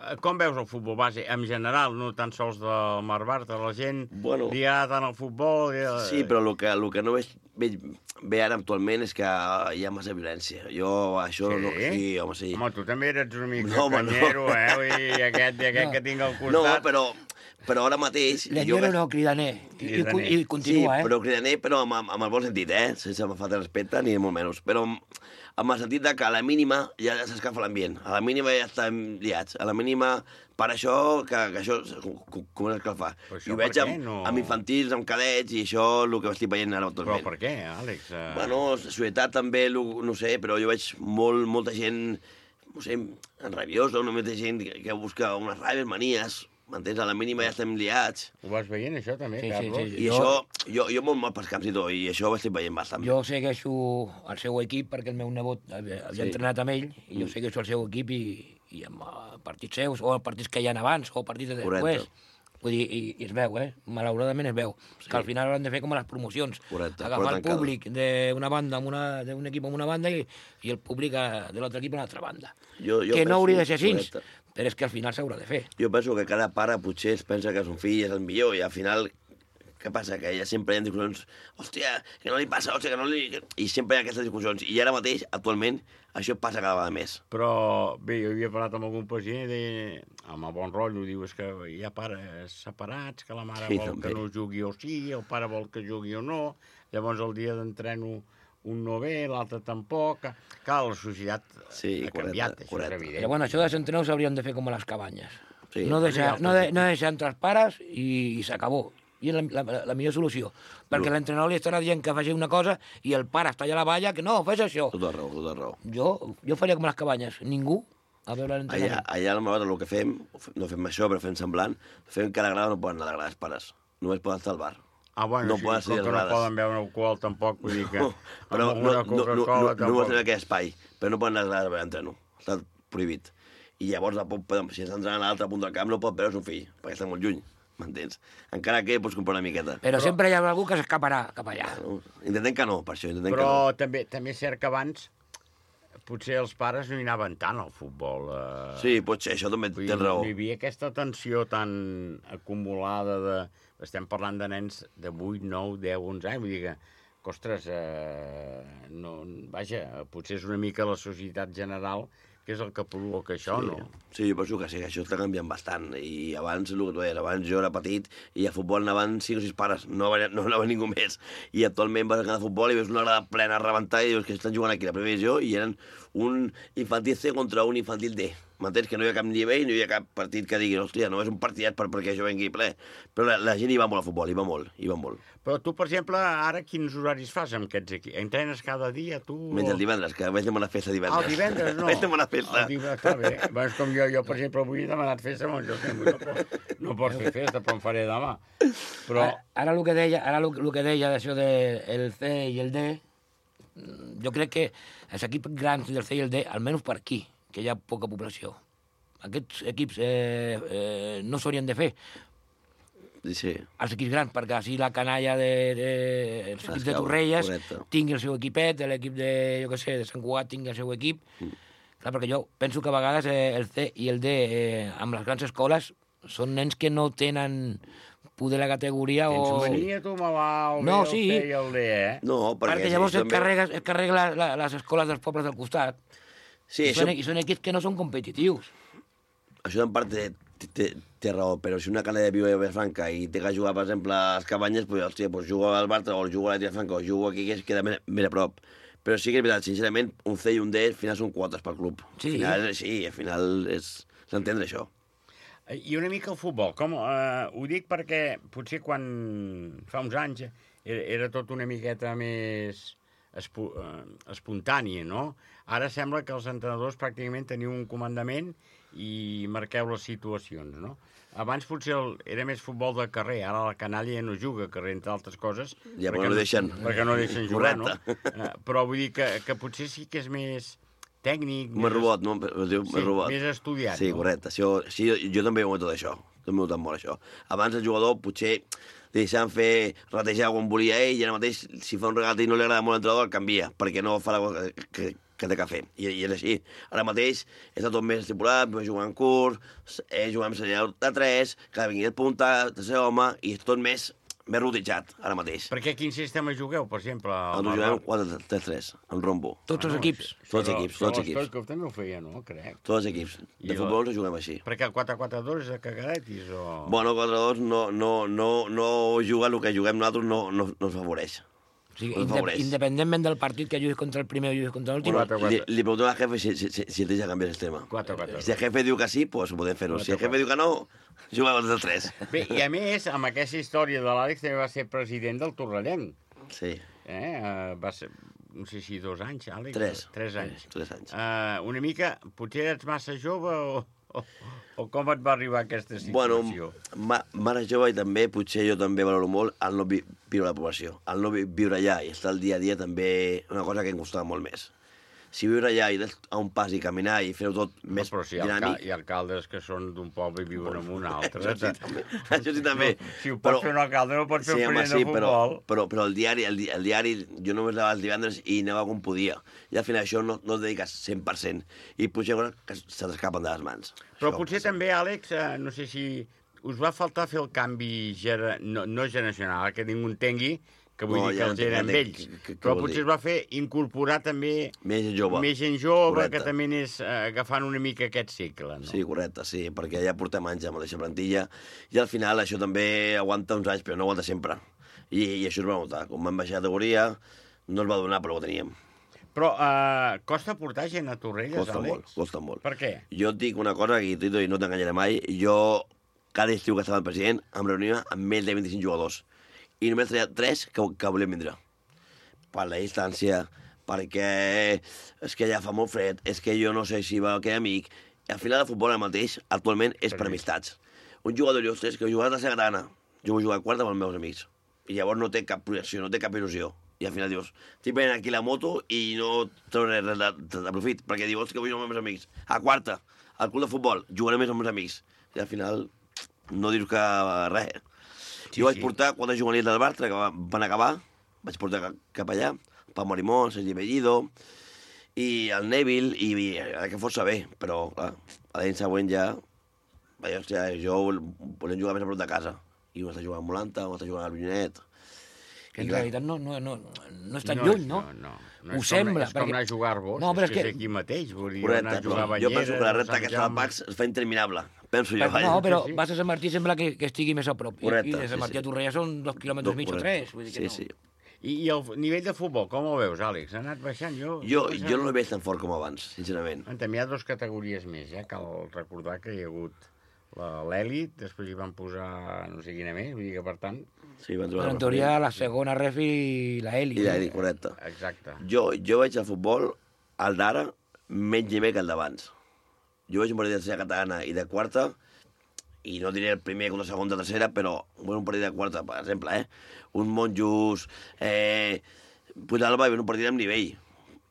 Eh, Com veus el futbol base en general, no tan sols del Mar Bartra? La gent Bueno. li agrada tant el futbol... I... Sí, però el que, el que no veig, veig bé ara actualment és que hi ha massa violència. Jo això Sí? no... Sí, home, sí. Home, tu també eres una mica No, home, no. canyero, eh? Vull dir, aquest, i aquest No. que tinc al No, costat... però, però ara mateix... Leñero no, cridaner. I, i, Cridaner. i continua, sí, eh? però cridaner, però amb, amb el bon sentit, eh? Sense falta de respecte, ni molt menys. Però amb, amb el sentit de que a la mínima ja s'escafa l'ambient. A la mínima ja estem liats. A la mínima, per això, que, que això com- comença a escalfar. Però I això ho veig per què? amb, No- amb infantils, amb cadets, i això el que estic veient ara Però actualment. per què, Àlex? Eh... Bueno, la societat també, lo- no sé, però jo veig molt, molta gent, no sé, rabiosa, una molta gent que, que busca unes ràbies, manies, m'entens? A la mínima ja estem liats. Ho vas veient, això, també, Sí, sí, Carlos? sí. I Jo- això, jo, jo molt mal pels camps i tot, i això ho estic veient bastant. Jo segueixo el seu equip perquè el meu nebot havia, havia Sí. entrenat amb ell i jo Mm. segueixo el seu equip i, i amb eh, partits seus o partits que hi ha abans o partits de Correcte. després. Vull dir, i, i es veu, eh? Malauradament es veu. Sí. Que al final hauran de fer com a les promocions. Correcte, Agafar però el tancada. públic d'una banda amb una, d'un equip amb una banda i, i el públic eh, de l'altre equip a l'altra banda. Jo, jo que no penso- hauria de ser així, correcte. però és que al final s'haurà de fer. Jo penso que cada pare potser es pensa que son fill és el millor i al final, què passa? Que ja sempre hi ha discussions, hòstia, que no li passa, hòstia, que no li... I sempre hi ha aquestes discussions. I ara mateix, actualment, això passa cada vegada més. Però, bé, jo havia parlat amb algun pacient i deia, amb el bon rotllo, diu, és que hi ha pares separats, que la mare Sí, vol també. que no jugui o sí, el pare vol que jugui o no, llavors el dia d'entreno un no ve, l'altre tampoc... Clar, la societat Sí, ha correcte, canviat, això correcte. és evident. Però bueno, això dels entrenadors s'haurien de fer com a les cabanyes. Sí. No deixar, Sí, no, de, no deixar entre els pares i, i s'acabó. I és la, la, la millor solució. Perquè No. l'entrenador li estarà dient que faci una cosa i el pare està allà a la valla que no, fes això. Tota raó, tota raó. Jo, jo faria com a les cabanyes. Ningú a veure Allà, l'entrenador. allà al Malvat el que fem, no fem això, però fem semblant, fem que a la grada no poden anar a la grada els pares. Només poden estar al bar. Ah, bueno, no sí, poden com ser que no grades. poden beure alcohol tampoc, vull dir que... No, però amb no, una no, no, no, Coca-Cola no, no tampoc. poden tenir aquest espai, però no poden anar a la grada a veure entreno. Està prohibit. I llavors, la pot, si està entrant a l'altre punt del camp, no pot veure el seu fill, perquè està molt lluny, m'entens? Encara que pots comprar una miqueta. Però, Però sempre hi ha algú que s'escaparà cap allà. No, intentem que no, per això, intentem Però que no. també, també és cert que abans potser els pares no hi anaven tant al futbol. Eh... Sí, pot ser, això també Vull té dir, raó. No hi havia aquesta tensió tan acumulada de... Estem parlant de nens de vuit, nou, deu, onze anys, vull dir que, que ostres, eh, no, vaja, potser és una mica la societat general que és el que provoca això, sí. no? Sí, jo penso que sí, que això està canviant bastant. I abans, el que tu deies, abans jo era petit i a futbol anaven cinc o sis pares, no anava, no anava ningú més. I actualment vas a cada futbol i veus una grada plena a rebentar i dius que estan jugant aquí a la primera divisió i eren un infantil C contra un infantil D. M'entens? Que no hi ha cap nivell, no hi ha cap partit que digui, hòstia, no és un partidet per, perquè jo vengui ple. Però la, la gent hi va molt al futbol, hi va molt, hi va molt. Però tu, per exemple, ara quins horaris fas amb aquests equips? Entrenes cada dia, tu? Menys el divendres, que vaig demanar festa divendres. Ah, el divendres, no. Vaig demanar festa. El divendres, està bé. Vas com jo, jo, per exemple, avui he demanat festa, però jo no, pot, no pots fer festa, però em faré demà. Però... Ara, ara el que deia, ara el, el que deia d'això del C i el D, jo crec que els equips grans del C i el D, almenys per aquí, que hi ha poca població, aquests equips eh, eh, no s'haurien de fer. Sí. Els equips grans, perquè així la canalla de, de, els equips de Torrelles tingui el seu equipet, l'equip de, jo què sé, de Sant Cugat tingui el seu equip. Mm. Clar, perquè jo penso que a vegades eh, el C i el D eh, amb les grans escoles són nens que no tenen poder la categoria o... Tens mania tu, malalt, no, el sí. C i el D, eh? No, perquè... perquè llavors sí, es carrega, es carrega la, la, les escoles dels pobles del costat. Sí, I, això... són, I són equips que no són competitius. Això en part té, té, té raó, però si una canalla viu a Vilafranca i té que jugar, per exemple, a les Cabanyes, pues, hòstia, pues jugo al Bartra o jugo a la Vilafranca o jugo aquí, que es queda més, més a prop. Però sí que és veritat, sincerament, un C i un D al final són quotes pel club. Sí. Al final, sí, al final és s'entendre això. I una mica el futbol, com? Uh, ho dic perquè potser quan fa uns anys era, era tot una miqueta més espo, uh, espontània, no? Ara sembla que els entrenadors pràcticament teniu un comandament i marqueu les situacions, no? Abans potser el, era més futbol de carrer, ara la canalla ja no juga a carrer, entre altres coses. Ja, però no deixen. Perquè no deixen jugar, Correcte. no? Uh, però vull dir que, que potser sí que és més tècnic... Més robot, no? Es diu sí, més robot. més estudiat. Sí, no? correcte. Sí, jo, sí, jo, jo també he tot això. També he notat molt això. Abans el jugador potser li deixaven fer ratejar quan volia ell i ara mateix, si fa un regat i no li agrada molt l'entrenador, el canvia, perquè no fa la cosa que, que, que té que fer. I, I és així. Ara mateix està tot més estipulat, va jugar en curs, eh, jugar amb senyal de tres, que vingui de punta, de ser home, i és tot més... més rodejat, ara mateix. Perquè quin sistema jugueu, per exemple? Nosaltres juguem quatre tres tres, en rombo. Tots els equips? Tots els equips, tots els equips. Que també ho feia, no? Crec. Tots els equips. De futbol ens juguem així. Perquè el quatre quatre dos és de cagadetis, o...? Bueno, quatre dos no, no, no, no juga el que juguem nosaltres, no, no, no ens favoreix. O sigui, indep independentment del partit que juguis contra el primer o juguis contra l'últim... Bueno, li, li preguntem al jefe si, si, si, si el deixa canviar el sistema. quatre quatre. Si el jefe diu que sí, pues ho podem fer-ho. Si el jefe diu que no, juguem els del tres. Bé, i a més, amb aquesta història de l'Àlex també va ser president del Torrellenc. Sí. Eh? Uh, va ser, no sé si dos anys, Àlex? Tres. Tres anys. Tres anys. Uh, una mica, potser ets massa jove o... O, o com et va arribar aquesta situació? Bueno, ma, mare jove i també, potser jo també valoro molt el no vi, viure a la població. El no vi, viure allà i estar el dia a dia també una cosa que em costava molt més. Si viure allà i a un pas i caminar i fer-ho tot no, més però si dinàmic... Hi ha alcaldes que són d'un poble i viuen en un altre. Això sí, també. Això sí, també. No, si ho pot però, fer un alcalde, no pot fer sí, un president sí, de futbol. Però, però, però el diari, el, el diari, jo només anava els divendres i anava com podia. I al final això no, no et dediques cent per cent. I potser que se t'escapen de les mans. Però això, potser sí. també, Àlex, eh, no sé si us va faltar fer el canvi gera, no, no generacional, que ningú entengui, que vull no, dir que ja els eren vells, que, que, però potser dir? es va fer incorporar també més gent jove, més gent jove correcte. Que també anés eh, agafant una mica aquest cicle. No? Sí, correcte, sí, perquè ja portem anys amb la mateixa plantilla i al final això també aguanta uns anys, però no aguanta sempre. I, i això es va notar. Quan vam baixar de categoria no es va donar, però ho teníem. Però eh, costa portar gent a Torrelles, costa Àlex? Molt, costa molt. Per què? Jo et dic una cosa que Tito, i no t'enganyaré mai, jo cada estiu que estava el president em reunia amb més de vint-i-cinc jugadors i només traia tres que, que volien vindre. Per la distància, perquè és que ja fa molt fred, és que jo no sé si va aquell amic. I al final el futbol el mateix, actualment, és per amistats. Un jugador d'Ostres que jugarà a la Tercera Catalana, jo vull jugar a quarta amb els meus amics. I llavors no té cap projecció, no té cap il·lusió. I al final dius, estic venint aquí la moto i no trauré res de, de, de profit, perquè dius, que vull jugar amb els meus amics. A quarta, al club de futbol, jugaré més amb els amics. I al final no dius que res. Sí, jo vaig sí. portar quatre juvenils del Bartra que van acabar, vaig portar cap allà, Pau Morimón, Sergi Bellido, i el Neville, i, i que fos saber, però clar, a l'any següent ja, vaja, hòstia, jo volem jugar més a prop de casa. I un està jugant a Molanta, un està jugant al Vinyonet. Que en clar, realitat no, no, no, no és tan no, lluny, no? No, no. no Ho és sembla. Com, és com anar a jugar-vos, no, és, és que és és aquí mateix. Vull dir, correcte, anar a jugar a jo penso que la recta aquesta del Pax es fa interminable. Penso jo. Però, no, però sí, sí. vas a Sant Martí sembla que, que estigui més a prop. Correcte, I de Sant sí, Martí sí. a Torrella són dos quilòmetres mig o tres. Vull dir que sí, no. sí. I, I el nivell de futbol, com ho veus, Àlex? Ha anat baixant? Jo, jo, jo no el veig tan fort com abans, sincerament. També hi ha dues categories més, eh? Cal recordar que hi ha hagut l'èlit, després hi van posar no sé quina més, vull dir que per tant... Sí, van però en teoria la segona ref i l'èlit. I l'èlit, correcte. Exacte. Jo, jo veig el futbol, el d'ara, menys nivell que el d'abans. Jo veig un partit de tercera catalana i de quarta, i no diré el primer contra segon de tercera, però un partit de quarta, per exemple, eh? Un Monjos, eh... Puigdàlber, un partit amb nivell.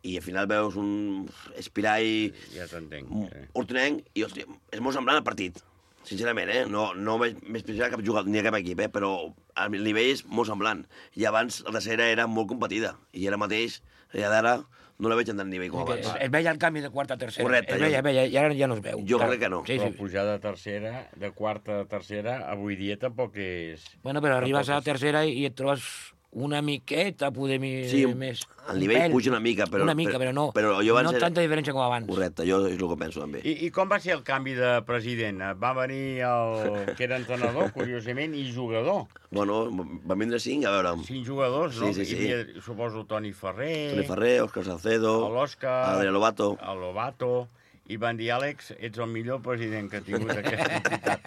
I al final veus un Espirall... Ja t'entenc. Sí. Hortonenc, i hòstia, és molt semblant el partit. Sincerament, eh? No, no veig més pitjor cap jugador ni a cap equip, eh? Però el nivell és molt semblant. I abans la tercera era molt competida. I ara mateix, i d'ara, no la veig en tant nivell com abans. Es, es veia el canvi de quarta a tercera. Correcte. Es veia, es veia, i ara ja no es veu. Jo crec que no. Sí, però sí. pujar de tercera, de quarta a tercera, avui dia tampoc és... Bueno, però arribes a la tercera i et trobes una miqueta, poder mi... sí, més. El nivell pèl. puja una mica, però... Una mica, però no. Però jo no era... tanta diferència com abans. Correcte, jo és el que penso també. I, I com va ser el canvi de president? Va venir el que era entrenador, curiosament, i jugador. Bueno, van vindre cinc, a veure... Cinc jugadors, no? Sí, sí, sí. Hi havia, suposo, Toni Ferrer... Toni Ferrer, Òscar Salcedo... L'Òscar... Adrià Lobato... El Lobato... I van dir, Àlex, ets el millor president que ha tingut aquesta entitat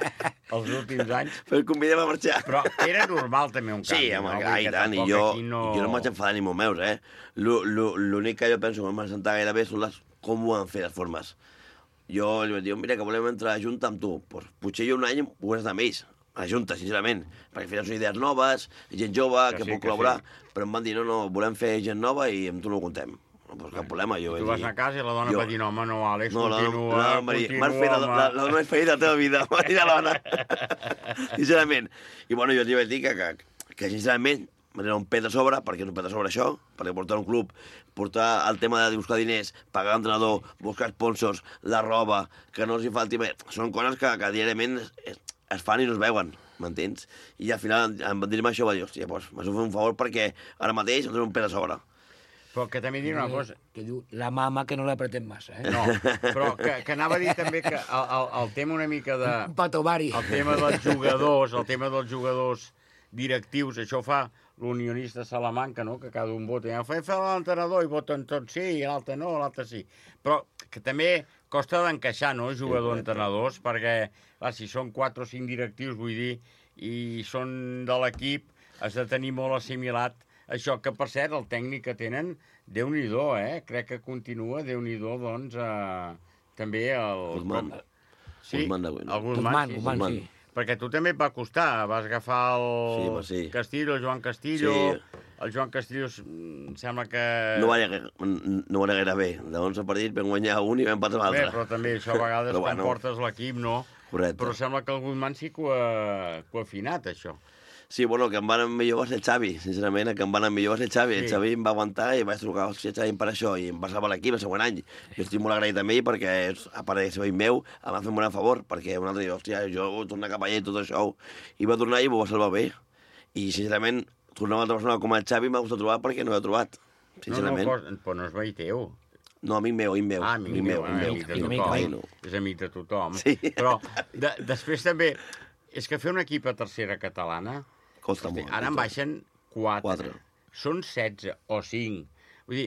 els últims anys. Però el convidem a marxar. Però era normal també un canvi. Sí, home, no? ai, tant, i jo, no... jo no em vaig enfadar ni molt meus, eh? L'únic que jo penso que m'ha sentat gairebé són les, com ho han fet les formes. Jo li vaig dir, mira, que volem entrar a Junta amb tu. Pues, potser jo un any pogués estar amb ells, a Junta, sincerament, perquè al final són idees noves, gent jove, que, que sí, pot col·laborar, sí. Però em van dir, no, no, volem fer gent nova i amb tu no ho contem. Pues cap problema, jo... Tu vas a casa i la dona jo... va dir, no, home, no, Àlex, no, continua, no, no, continua, m'has fet, la, la, la dona és feina de la teva vida, m'ha dit la dona. Sincerament. I bueno, jo t'hi vaig dir que, que, que sincerament, m'anava un pet de sobre, perquè és un pet de sobre això, perquè portar un club, portar el tema de buscar diners, pagar l'entrenador, buscar sponsors, la roba, que no els hi falti... Són coses que, que diàriament es, es, es fan i no es veuen, m'entens? I al final em van dir-me això, va dir, hòstia, doncs m'has de fer un favor perquè ara mateix em dono un pet de sobre. Però que també diré una cosa... Que diu, la mama que no l'apretem massa, eh? No, però que, que anava a dir també que el, el, el tema una mica de... Un patovari. El tema dels jugadors, el tema dels jugadors directius, això fa l'unionista Salamanca, no?, que cada un vota. Ja fa, fa l'entrenador i voten tots sí, i l'altre no, l'altre sí. Però que també costa d'encaixar, no?, jugador-entrenadors, perquè, clar, si són quatre o cinc directius, vull dir, i són de l'equip, has de tenir molt assimilat això, que per cert, el tècnic que tenen, Déu-n'hi-do, eh? Crec que continua, Déu-n'hi-do, doncs, eh, també el... Guzmán. Sí, Guzmán, el Guzmán, sí, Guzmán, sí. Perquè tu també et va costar, vas agafar el sí, home, sí. Castillo, el Joan Castillo, sí. El Joan Castillo em sembla que... No va anar, no va anar gaire bé, de onze partits vam guanyar un i vam empatar l'altre. Bé, però també això a vegades quan bueno. portes l'equip, no? Correcte. Però sembla que el Guzmán sí que ho ha, que ho ha afinat, això. Sí, bueno, el que em va anar millor va ser el Xavi, sincerament, el que em va anar millor va ser el Xavi. Sí. El Xavi em va aguantar i vaig trucar, hòstia, Xavi, per això, i em va salvar l'equip el següent any. Jo estic molt agraït amb ell perquè, a part de ser veí meu, em va fer un bon favor, perquè un altre dia, hòstia, jo vull tornar cap allà i tot això. I va tornar i m'ho va salvar bé. I, sincerament, tornar a una altra persona com el Xavi m'ha gustat trobar perquè no l'he trobat, sincerament. No, no, però no és veí teu. No, amic meu, amic meu. Ah, amic, amic meu, meu, amic de tothom. És amic de tothom. Sí. Però de, després també, és que fer un equip a tercera catalana... Costa molt. Ara en baixen quatre. quatre. Són setze o cinc. Vull dir,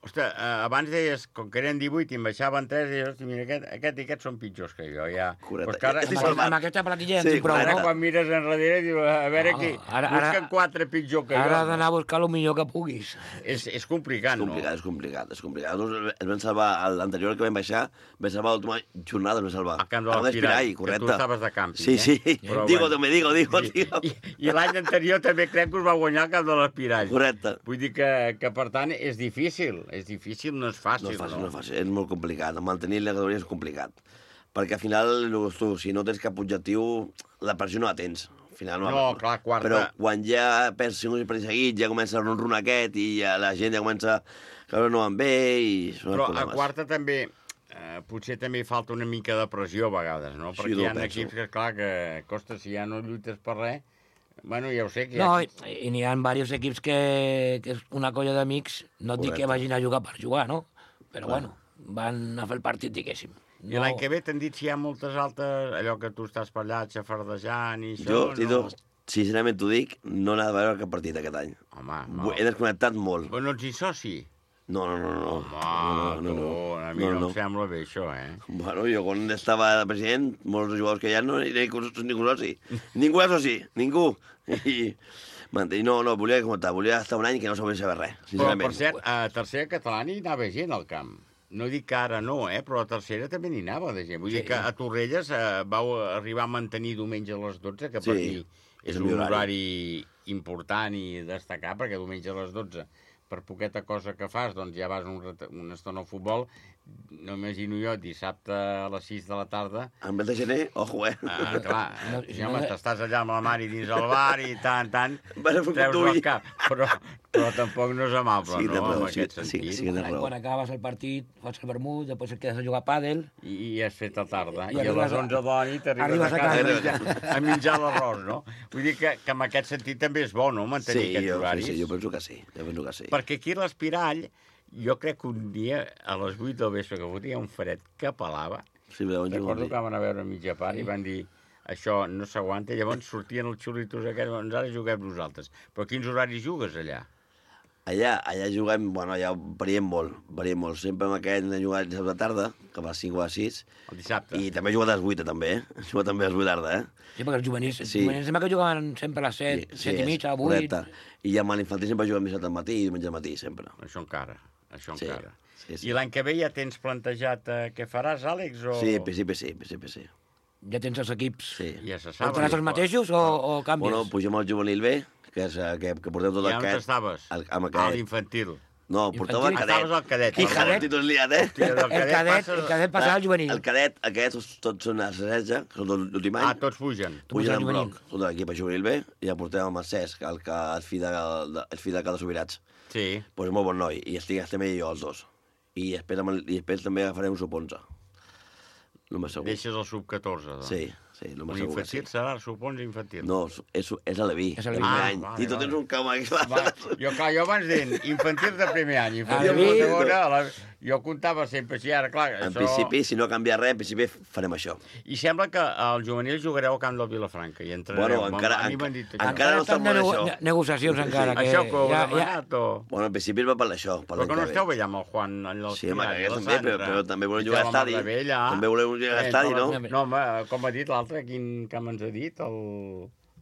Ostres, abans deies, com que eren divuit i en baixaven tres, i hosti, mira, aquest, aquest i aquest són pitjors que jo, ja. Correcte. Pues que ara, Amb, aquest, amb aquesta platilla Sí, sí, prou, ara no? quan mires enrere, dius, a veure No, qui, ara- busquen ara- quatre pitjor que Ara has jo. d'anar a buscar el millor que puguis. És, és complicat, És no? complicat, és complicat, és complicat. Nosaltres es van salvar, l'anterior que vam baixar, vam salvar l'última jornada, es vam salvar. A Camp de l'Espirall, que correcte. tu estaves de càmping, Sí, eh? sí, Però digo, bueno. me digo, digo, digo. I, i l'any anterior també crec que us va guanyar el Camp de l'Espirall. Correcte. Vull dir que, que, per tant, és difícil. És difícil, no és fàcil, No és fàcil, no? no és fàcil, és molt complicat. Mantenir la categoria és complicat. Perquè al final, tu, si no tens cap objectiu, la pressió no la tens. Al final, No, clar, quarta- Però quan ja perds cinc per seguit, ja comença el ron-ron aquest i ja la gent ja comença que no van bé i són Però els a problemes. quarta també, eh, potser també hi falta una mica de pressió a vegades, no? Sí, Perquè no hi ho ha penso. equips que, clar, que costa, si ja no lluites per res, bueno, ja ho sé. Que No, ja... i, i n'hi ha diversos equips que, que és una colla d'amics, no et dic que Correcte. vagin a jugar per jugar, no? Però Clar. bueno, van a fer el partit, diguéssim. I l'any que ve t'han dit si hi ha moltes altres, allò que tu estàs per allà xafardejant i això, Jo, no? Tito, sincerament t'ho dic, no n'ha de veure cap partit aquest any. Home, Vull- He desconnectat molt. Però no ets ni soci? No, no, no, no. Home, no, no, no, tu, a mi no, no em sembla bé això, eh? Bueno, jo quan estava de president, molts jugadors que hi ha no hi ha ningú soci. Ningú és soci, ningú. I, i no, no, volia comentar, volia estar un any que no sabia saber res, Però, sincerament. per cert, a tercera catalana hi anava gent al camp. No dic que ara no, eh? Però a tercera també n'hi anava de gent. Vull Sí. dir que a Torrelles eh, vau arribar a mantenir diumenge a les dotze, que per Sí, mi és és el un millor horari important i destacar, perquè diumenge a les dotze, per poqueta cosa que fas, doncs ja vas un ret- una estona al futbol. No imagino jo, dissabte a les sis de la tarda... En mes de gener, ojo, eh? Ah, clar, No, sí, no, home, no. t'estàs allà amb la mare dins el bar i tant, tant, Vas a fer un treus cop el d'ull. cap. Però, però tampoc no és amable, Sí, té no?, raó, en sí, aquest sí, sentit. sí que té raó. Quan acabes el partit, fas el vermut, després et quedes a jugar a pàdel... I, i has fet a tarda. I I, a arribes les a- onze de la nit arribes, arribes a a casa, casa. a menjar, a menjar l'arròs, no? Vull dir que, que en aquest sentit també és bo, no?, mantenir Sí, aquests jo, horaris. sí, sí, jo penso que sí, jo penso que sí. Perquè aquí a l'Espirall, jo crec que un dia, a les vuit del vespre, que fotia un fred que pelava, Sí, veuen recordo que van a veure a mitja part i van dir això no s'aguanta, i llavors sortien els xulitos aquests, doncs ara juguem nosaltres. Però quins horaris jugues allà? Allà, allà juguem, bueno, allà variem molt, variem molt. Sempre amb aquest hem jugat dissabte de tarda, que va a les cinc o a les sis. El dissabte. I també he jugat a les vuit, també, eh? He jugat també a les vuit de tarda, eh? Sí, perquè els juvenils, Sí. sí. juvenils sembla que jugaven sempre a les set, sí, set i mitja, a vuit... correcte. I amb l'infantil sempre juguem dissabte al matí i diumenge al matí, sempre. Això encara, això Sí, encara. sí, sí. I l'any que ve ja tens plantejat eh, què faràs, Àlex? O... Sí, en principi sí, en principi sí. Ja tens els equips. Sí. Ja se Però sap. faràs els mateixos o, o canvies? Bueno, pugem al juvenil B, que, és, eh, que, que porteu tot I on aquest... estaves? El, amb A aquest. l'infantil. No, portava el Infantil? cadet. Estaves al cadet. Quin El cadet? cadet? Titos liat, eh? Hòstia, del cadet El cadet, passes- el cadet passarà al juvenil. El cadet, aquests tots són a setze, que són de l'últim any. Ah, tots pugen. Tu puges Pugen al en juvenil. bloc, tot l'equip a juvenil B, i ja portem amb el Cesc, el, que, el, fill de, el fill de cada Sobirats. Sí. Pues molt bon noi, i estic, estem ell i jo, els dos. I després, amb el, i després també agafarem un sub onze. No m'ho segur. Deixes el sub catorze, doncs. Sí, sí, no m'ho Un segur que sí. infantil serà, sub onze infantil. No, és, és a l'Aleví, És el a primer Ah, any. vale, I tu vale. tens un camp aquí. Va, jo, clar, jo abans deien infantils de primer any, infantils Aleví. de segona, a la... jo comptava sempre així, ara, clar, En això... principi, si no canvia res, en principi farem això. I sembla que al juvenil jugareu al camp del Vilafranca i entrareu. Bueno, encara- a mi m'han enca- dit això. encara no està estan de molt nego això. negociacions encara. Que Això que ho heu ja, ja, demanat, o... Bueno, en principi va per això, per Però l'any que no que esteu ve. bé allà amb el Juan, allà al Sí, home, Pilar, que la també, però, Sandra. però també volem I jugar a la l'estadi. Mardavella. També volem jugar a Eh, l'estadi, no? No, home, com ha dit l'altre, quin camp ens ha dit? El,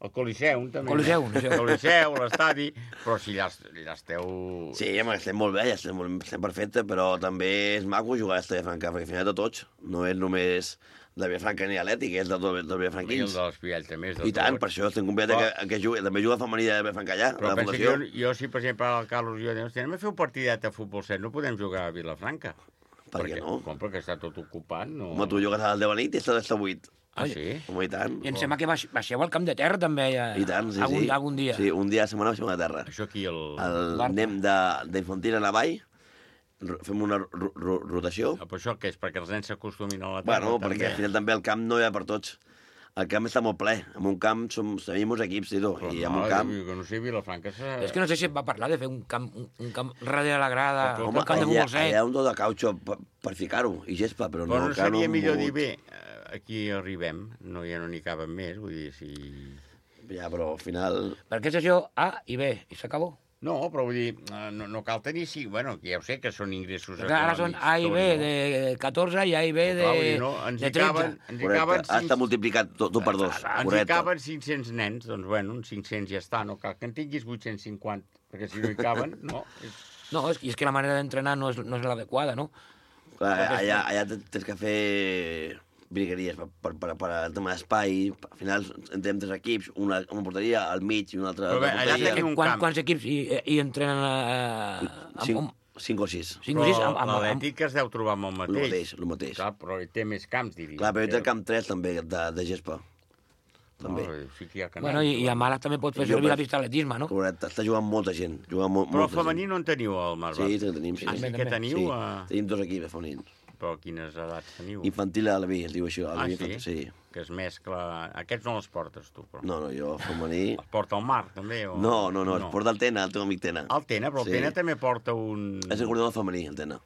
el Coliseum, també. Coliseum, El això. Coliseum, l'estadi, però si allà, allà esteu... Sí, home, estem molt bé, ja estem, molt- estem perfecte, però també és maco jugar a l'Estadi de Franca, perquè al final de tots no és només de Vilafranca ni Atlètic, és de tots els I el vilafranquins. de l'Espiall també és de I tant, tot. per això estem convidats Però- que, que jugui, també juga femení de Vilafranca allà, Però a la pensa que Fundació. jo, jo, si per exemple el Carlos i jo diem, hòstia, anem a fer un partidet de futbol set, no podem jugar a Vilafranca. Per què no? Com, perquè està tot ocupat, no? Home, tu jugues al deu a la nit i estàs a vuit. Ah, sí? Home, i tant. I em sembla que baix, baixeu al camp de terra també ja, I tant, sí, algun, sí. algun dia. Sí, un dia a la setmana baixem a terra. Això aquí, el... El, Barca. anem de- d'infantil a la vall, ro- fem una ro ro rotació. Ah, però això què és? Perquè els nens s'acostumin a la terra, Bueno, també. perquè al final també el camp no hi ha per tots. El camp està molt ple. En un camp som, tenim molts equips, Tito, Però i en no, un camp... jo que no sé, Vilafranca... Se... És que no sé si et va parlar de fer un camp, un, un camp darrere la grada, Però, un Home, camp de allà, futbol set. allà hi ha un do de cautxo per, per ficar-ho, i gespa, però, Però no, encara seria hem millor dir, mogut. bé, eh, aquí arribem, no, ja no n'hi caben més, vull dir, si... Ja, però al final... Perquè és això A i B, i s'acabó. No, però vull dir, no, no cal tenir... Sí, bueno, ja ho sé que són ingressos econòmics. Ara són A i B de catorze i A i B de, no, de tretze. Ens hi caben... Ha estat multiplicat tot per dos. Ens hi caben cinc-cents nens, doncs bueno, uns cinc-cents ja està, no cal que en tinguis vuit-cents cinquanta, perquè si no hi caben, no... No, és, és que la manera d'entrenar no és, no és l'adequada, no? Clar, allà, allà tens que fer brigueries per, per, per, per el tema d'espai. Al final entrem tres equips, una, una porteria, al mig i una altra... Però bé, allà tenim un camp. Quants equips hi, hi entrenen? Eh, cinc, cinc o sis. Cinc o sis. Però l'Atlètic es deu trobar amb el mateix. El mateix, el mateix. Clar, però hi té més camps, diria. Clar, però hi té el camp tres, també, de, de gespa. També. No, sí que hi ha canal, bueno, i, i a Mala també pot fer servir la pista d'atletisme, no? Correcte, està jugant molta gent. Jugant mo però el femení no en teniu, al Marbat? Sí, tenim. Sí, ah, sí que teniu? Sí, a... tenim dos equips femenins. Però quines edats teniu? Infantil a l'Albi, es diu això. Ah, sí? Infantil, sí? Que es mescla... Aquests no els portes, tu, però... No, no, jo, femení... Els porta el Marc, també? O... No, no, no, no, es porta el Tena, el teu amic Tena. El Tena, però el sí. Tena també porta un... És el coordinador femení, el Tena.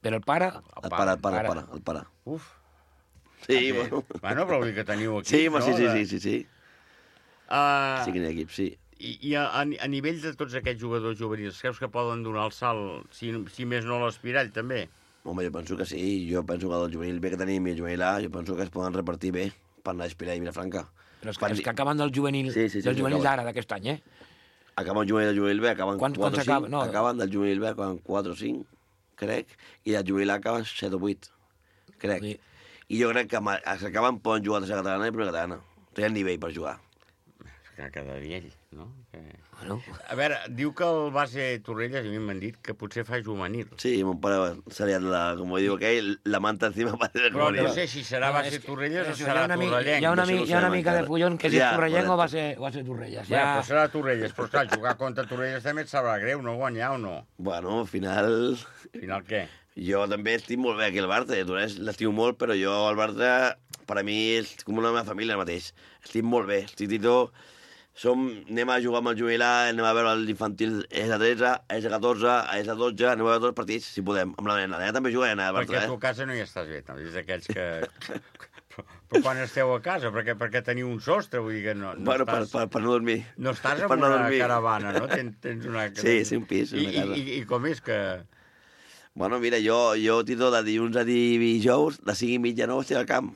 Però el pare? El pare, el pare, el pare. El pare. Uf. Sí, ah, bueno. Bueno, però vull dir que teniu equips, sí, no? Sí, sí, sí, sí, sí. Uh, sí que n'hi ha equips, sí. I, i a, a nivell de tots aquests jugadors juvenils, creus que poden donar el salt, si, si més no l'Espirall, també? Home, jo penso que sí. Jo penso que el juvenil B que tenim i el juvenil A, jo penso que es poden repartir bé per anar a Espirall i Vilafranca. Però és que, és que acaben del juvenil, sí, sí, sí, del sí, juvenil d'ara, d'aquest any, eh? Acaben el juvenil del juvenil B, acaben Quan, quatre o cinc. Acaba? No, acaben del juvenil B, acaben quatre o cinc, crec, i del juvenil A acaben set o vuit, crec. Sí. I jo crec que s'acaben poden jugar a tercera catalana i primera catalana. Tenen nivell per jugar. Que quedaria ell, no? Que... Bueno. A veure, diu que el base Torrelles, a mi m'han dit que potser fa juvenil. Sí, mon pare seria, la, com diu aquell, la manta encima va ser però no sé si serà base no, Torrelles o serà Torrellenc. Hi ha una, mi, hi ha una mica de fullon que si ja, és Torrellenc o va ser, va ser Torrelles. Ja, ja però serà Torrelles. Però clar, jugar contra Torrelles també et sabrà greu, no guanyar o no? Bueno, al final... Al final què? Jo també estic molt bé aquí al Barça, Torrelles l'estimo molt, però jo al Barça, per a mi, és com una meva família mateix. Estic molt bé, estic Tito... Som, anem a jugar amb el juvenil A, anem a veure l'infantil E S tretze, E S catorze, E S dotze, anem a veure tots els partits, si podem, amb la nena. La nena també juga a nena. Perquè a tu a casa no hi estàs bé, no? És d'aquells que... però, però quan esteu a casa? Perquè, perquè teniu un sostre, vull dir que no, no bueno, estàs... Per, per, per no dormir. No estàs en per una no caravana, no? Tens, tens una... Sí, sí, un pis, una I, casa. I, i, I com és que... Bueno, mira, jo, jo Tito, de dilluns a dijous, de cinc i mitja a nou estic al camp.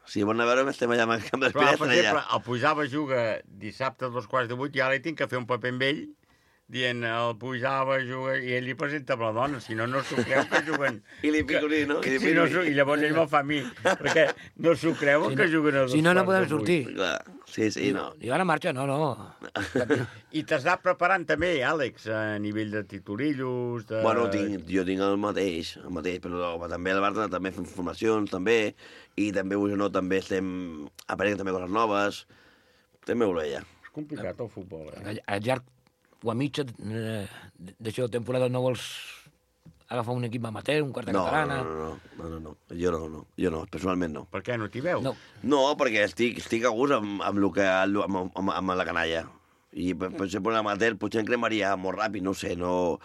Si volen veure, estem allà al camp d'Espirall. Per exemple, el Pujava juga dissabte a dos quarts de vuit i ara li tinc que fer un paper amb ell dient el Pujava juga i ell li presenta amb la dona, si no, no s'ho creu que juguen... I li picolí, no? I, si no I llavors ell me'l fa a mi, perquè no s'ho creuen si que no, juguen a dos si no, no quarts podem de sortir. Clar. Sí, sí, no. I ara marxa, no, no. I t'has anat preparant també, Àlex, a nivell de titurillos... De... Bueno, tinc, jo tinc el mateix, el mateix, però també al Barça també fem formacions, també, i també, vull no, també estem aprenent també coses noves, també ho veia. És complicat el futbol, eh? A llarg o a mitja d'això de temporada no vols agafar un equip amateur, un quart de no, catalana... No, no, no, no, no, jo no, no, jo no, personalment no. Per què, no t'hi veus? No, no perquè estic, estic a gust amb, amb, lo que, amb, amb, amb la canalla. I per, per exemple, l'amateur potser em cremaria molt ràpid, no sé, no...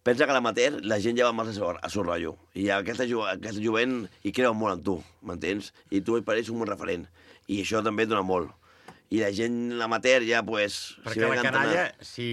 Pensa que a l'amateur la gent ja va massa a seu rotllo. I aquesta, aquesta jovent hi creu molt en tu, m'entens? I tu per ells un bon referent. I això també et dona molt. I la gent, l'amateur, ja, pues... Perquè si la canalla, si,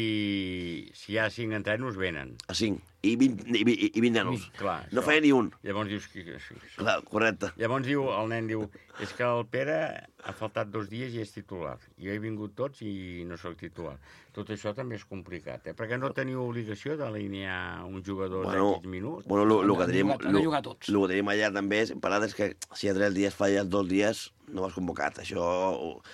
si hi ha cinc entrenos, venen. A cinc. I vint, i, i, i vint nanos. Clar, no feia ni un. Llavors dius... Que, que, que, Clar, correcte. Llavors diu, el nen diu, és que el Pere ha faltat dos dies i és titular. Jo he vingut tots i no sóc titular. Tot això també és complicat, eh? Perquè no teniu obligació d'alinear un jugador bueno, d'aquests minuts. Bueno, el que tenim... Han de jugar tots. El que tenim allà també és, parlat, és que si a tres dies falles dos dies, no vas convocat. Això,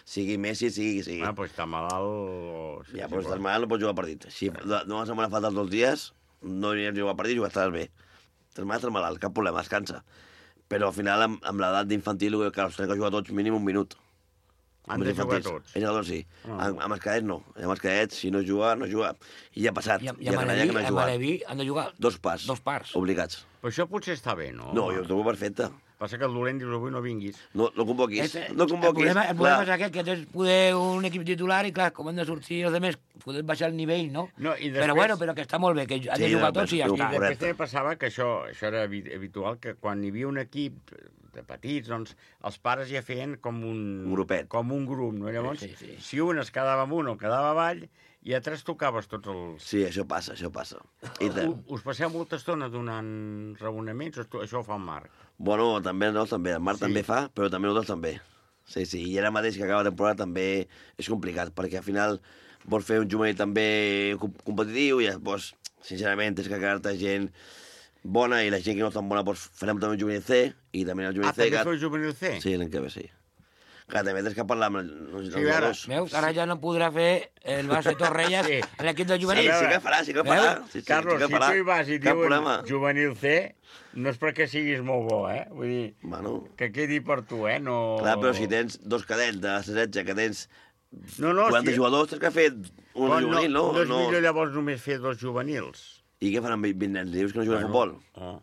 sigui Messi, sigui qui sigui. Ah, doncs està malalt... O... Ja, però si estàs malalt no pots jugar partit. Si no vas setmana faltar dos dies, no aniràs a jugar partit i ho estaràs bé. Estàs malalt, estàs malalt, cap problema, descansa. Però al final, amb, amb l'edat d'infantil, que els tenen que jugar tots mínim un minut. Han de jugar tots? Els jugadors sí. Oh. Amb, amb els cadets no. Amb els cadets, si no juga, no juga. I ja ha passat. I, i a Maleví, no a Maleví han de jugar dos parts. Dos parts. Obligats. Però això potser està bé, no? No, jo ho trobo perfecte. Passa que el dolent dius avui no vinguis. No, no convoquis. Este, no convoquis. El problema, el problema és aquest, que tens poder un equip titular i, clar, com han de sortir els altres, poder baixar el nivell, no? no i després... Però bueno, però que està molt bé, que han sí, de jugar no, tots i ja I està. I després també passava que això, això era habitual, que quan hi havia un equip de petits, doncs els pares ja feien com un... Un grupet. Com un grup, no? Llavors, sí, sí. si un es quedava amunt o quedava avall, I a tres tocaves tots els... Sí, això passa, això passa. I te... Us passeu molta estona donant raonaments o això ho fa el Marc? Bueno, també, no, també. El Marc Sí. també fa, però també nosaltres també. Sí, sí, i ara mateix que acaba la temporada també és complicat, perquè al final vols fer un juvenil també com- competitiu i llavors, sincerament, tens que quedar-te gent bona i la gent que no és tan bona, doncs farem també un juvenil C i també el juvenil Ah, C... també que- feu juvenil C? Sí, l'any que ve, sí. Clar, també tens que parlar amb els, els Sí, ara- jugadors. Veus? Ara ja no podrà fer el base Torrelles Sí. en l'equip de juvenil. Sí, sí que farà, sí que farà. Veus? Sí, sí, Carlos, sí que si farà. tu hi vas i Cap diuen problema. juvenil C, no és perquè siguis molt bo, eh? Vull dir, bueno. que quedi per tu, eh? No... Clar, però si tens dos cadets de setze, que tens no, no, quaranta si... jugadors, tens que fer un Però juvenil, no? No és millor llavors només fer dos juvenils. I què faran vint nens? Dius que no juguen a futbol? Oh,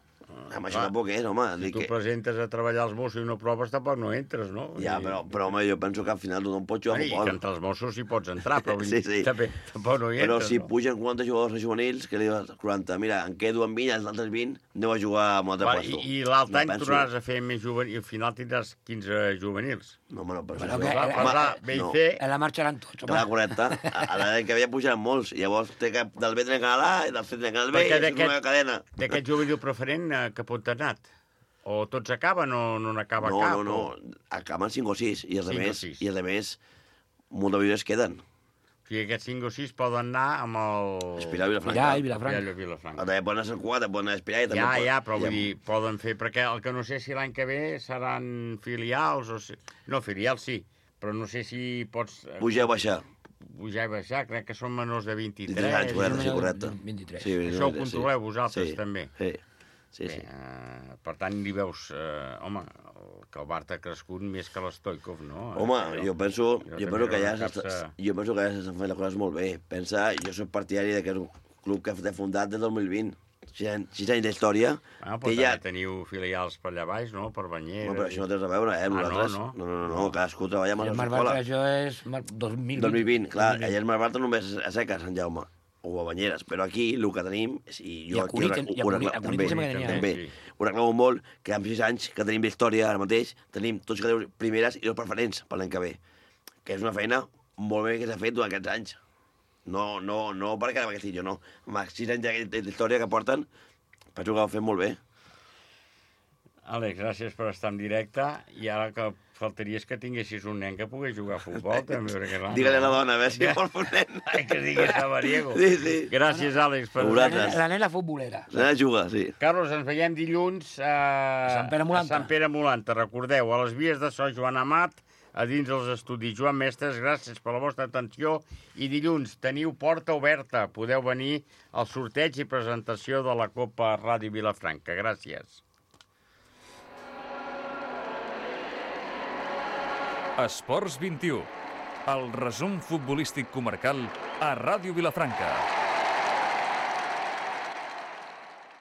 Home, això clar. tampoc és, home. Si Dic tu que... presentes a treballar als Mossos i no proves, tampoc no entres, no? Ja, però, però home, jo penso que al final tothom pot jugar a I futbol. que entre els Mossos hi pots entrar, però vull Sí, dir, sí. també, tampoc no hi Però entres, si no? pugen quaranta jugadors a juvenils, que li dius quaranta, mira, em quedo amb vint, els altres vint, aneu a jugar a un altre Va, puesto. I, i l'altre No any penso. tornaràs a fer més juvenil, i al final tindràs quinze juvenils. No, home, no, però Bueno, això... que- Va, eh, va, eh, B i no. C... En la marxaran tots, home. Clar, correcte. A a l'any que ve ja pujaran molts. Llavors té que del B tenen que anar a l'A i del C tenen que anar al B, Perquè és una cadena. d'aquest juvenil preferent, eh, que pot ha anat? O tots acaben o no n'acaba No, cap? no, no, O... acaben cinc o sis, i els Cinc o altres, sis. i els altres, molts de vídeos queden. O sigui, aquests cinc o sis poden anar amb el... Espiral Vilafranca. Ja, i Vilafranca. Espiral i Vilafranca. També poden anar a Sant Cugat, poden anar a Espiral. i també Ja, poden- ja, però vull ja- dir, poden fer... Perquè el que no sé si l'any que ve seran filials o... Si... No, filials sí, però no sé si pots... eh, Pujar o baixar. Pujar i baixar, crec que són menors de vint-i-tres. vint-i-tres anys, correcte, sí, correcte. vint-i-tres. Sí, Això ho sí. controleu vosaltres, Sí, també. Sí, sí, Bé, sí. eh, per tant, li veus... Eh, home, el, que el Bart ha crescut més que l'Stoikov, no? Home, Eh, jo penso, jo jo també penso que ja veure s'està- caps, eh, jo penso que ja s'estan fent les coses molt bé. Pensa, jo soc partidari d'aquest club que ha fundat des del dos mil vint. Sis anys, sis anys d'història. Ah, però té també ja... teniu filials per allà baix, no? Per Banyeres. No, però això no té res a veure, eh, amb Ah, no, nosaltres. no? No, no, no, no, cadascú treballa amb I la el seva Marc escola. Bartra, això és mar- dos mil vint. dos mil vint, clar, allà el Mar Bartra només a Seca, Sant Jaume, o a Banyeres, però aquí el que tenim, és- i I jo a aquí Cunit, ho i a ho Cunit- reclamo- a Cunit també, sembla que n'hi ha, també, eh? ho reclamo molt, que amb sis anys que tenim d'història ara mateix, tenim tots que primeres i dos preferents per l'any que ve, que és una feina molt bé que s'ha fet durant aquests anys. No, no, no perquè ara aquest jo no. Amb els sis anys d'història que porten, penso que ho han fet molt bé. Àlex, gràcies per estar en directe. I ara que faltaria és que tinguessis un nen que pogués jugar a futbol, també. Perquè, clar, Digue-li a la no. dona, a veure si vol fer un nen. Ai, que diguis Sabariego. Sí, sí. Gràcies, Àlex. Per... A vosaltres. La nena futbolera. La nena juga, sí. Carlos, ens veiem dilluns a, Sant Pere Molanta. a Sant Pere Molanta. Recordeu, a les vies de so Joan Amat, a dins dels estudis Joan Mestres, gràcies per la vostra atenció. I dilluns teniu porta oberta. Podeu venir al sorteig i presentació de la Copa Ràdio Vilafranca. Gràcies. Esports vint i u. El resum futbolístic comarcal a Ràdio Vilafranca.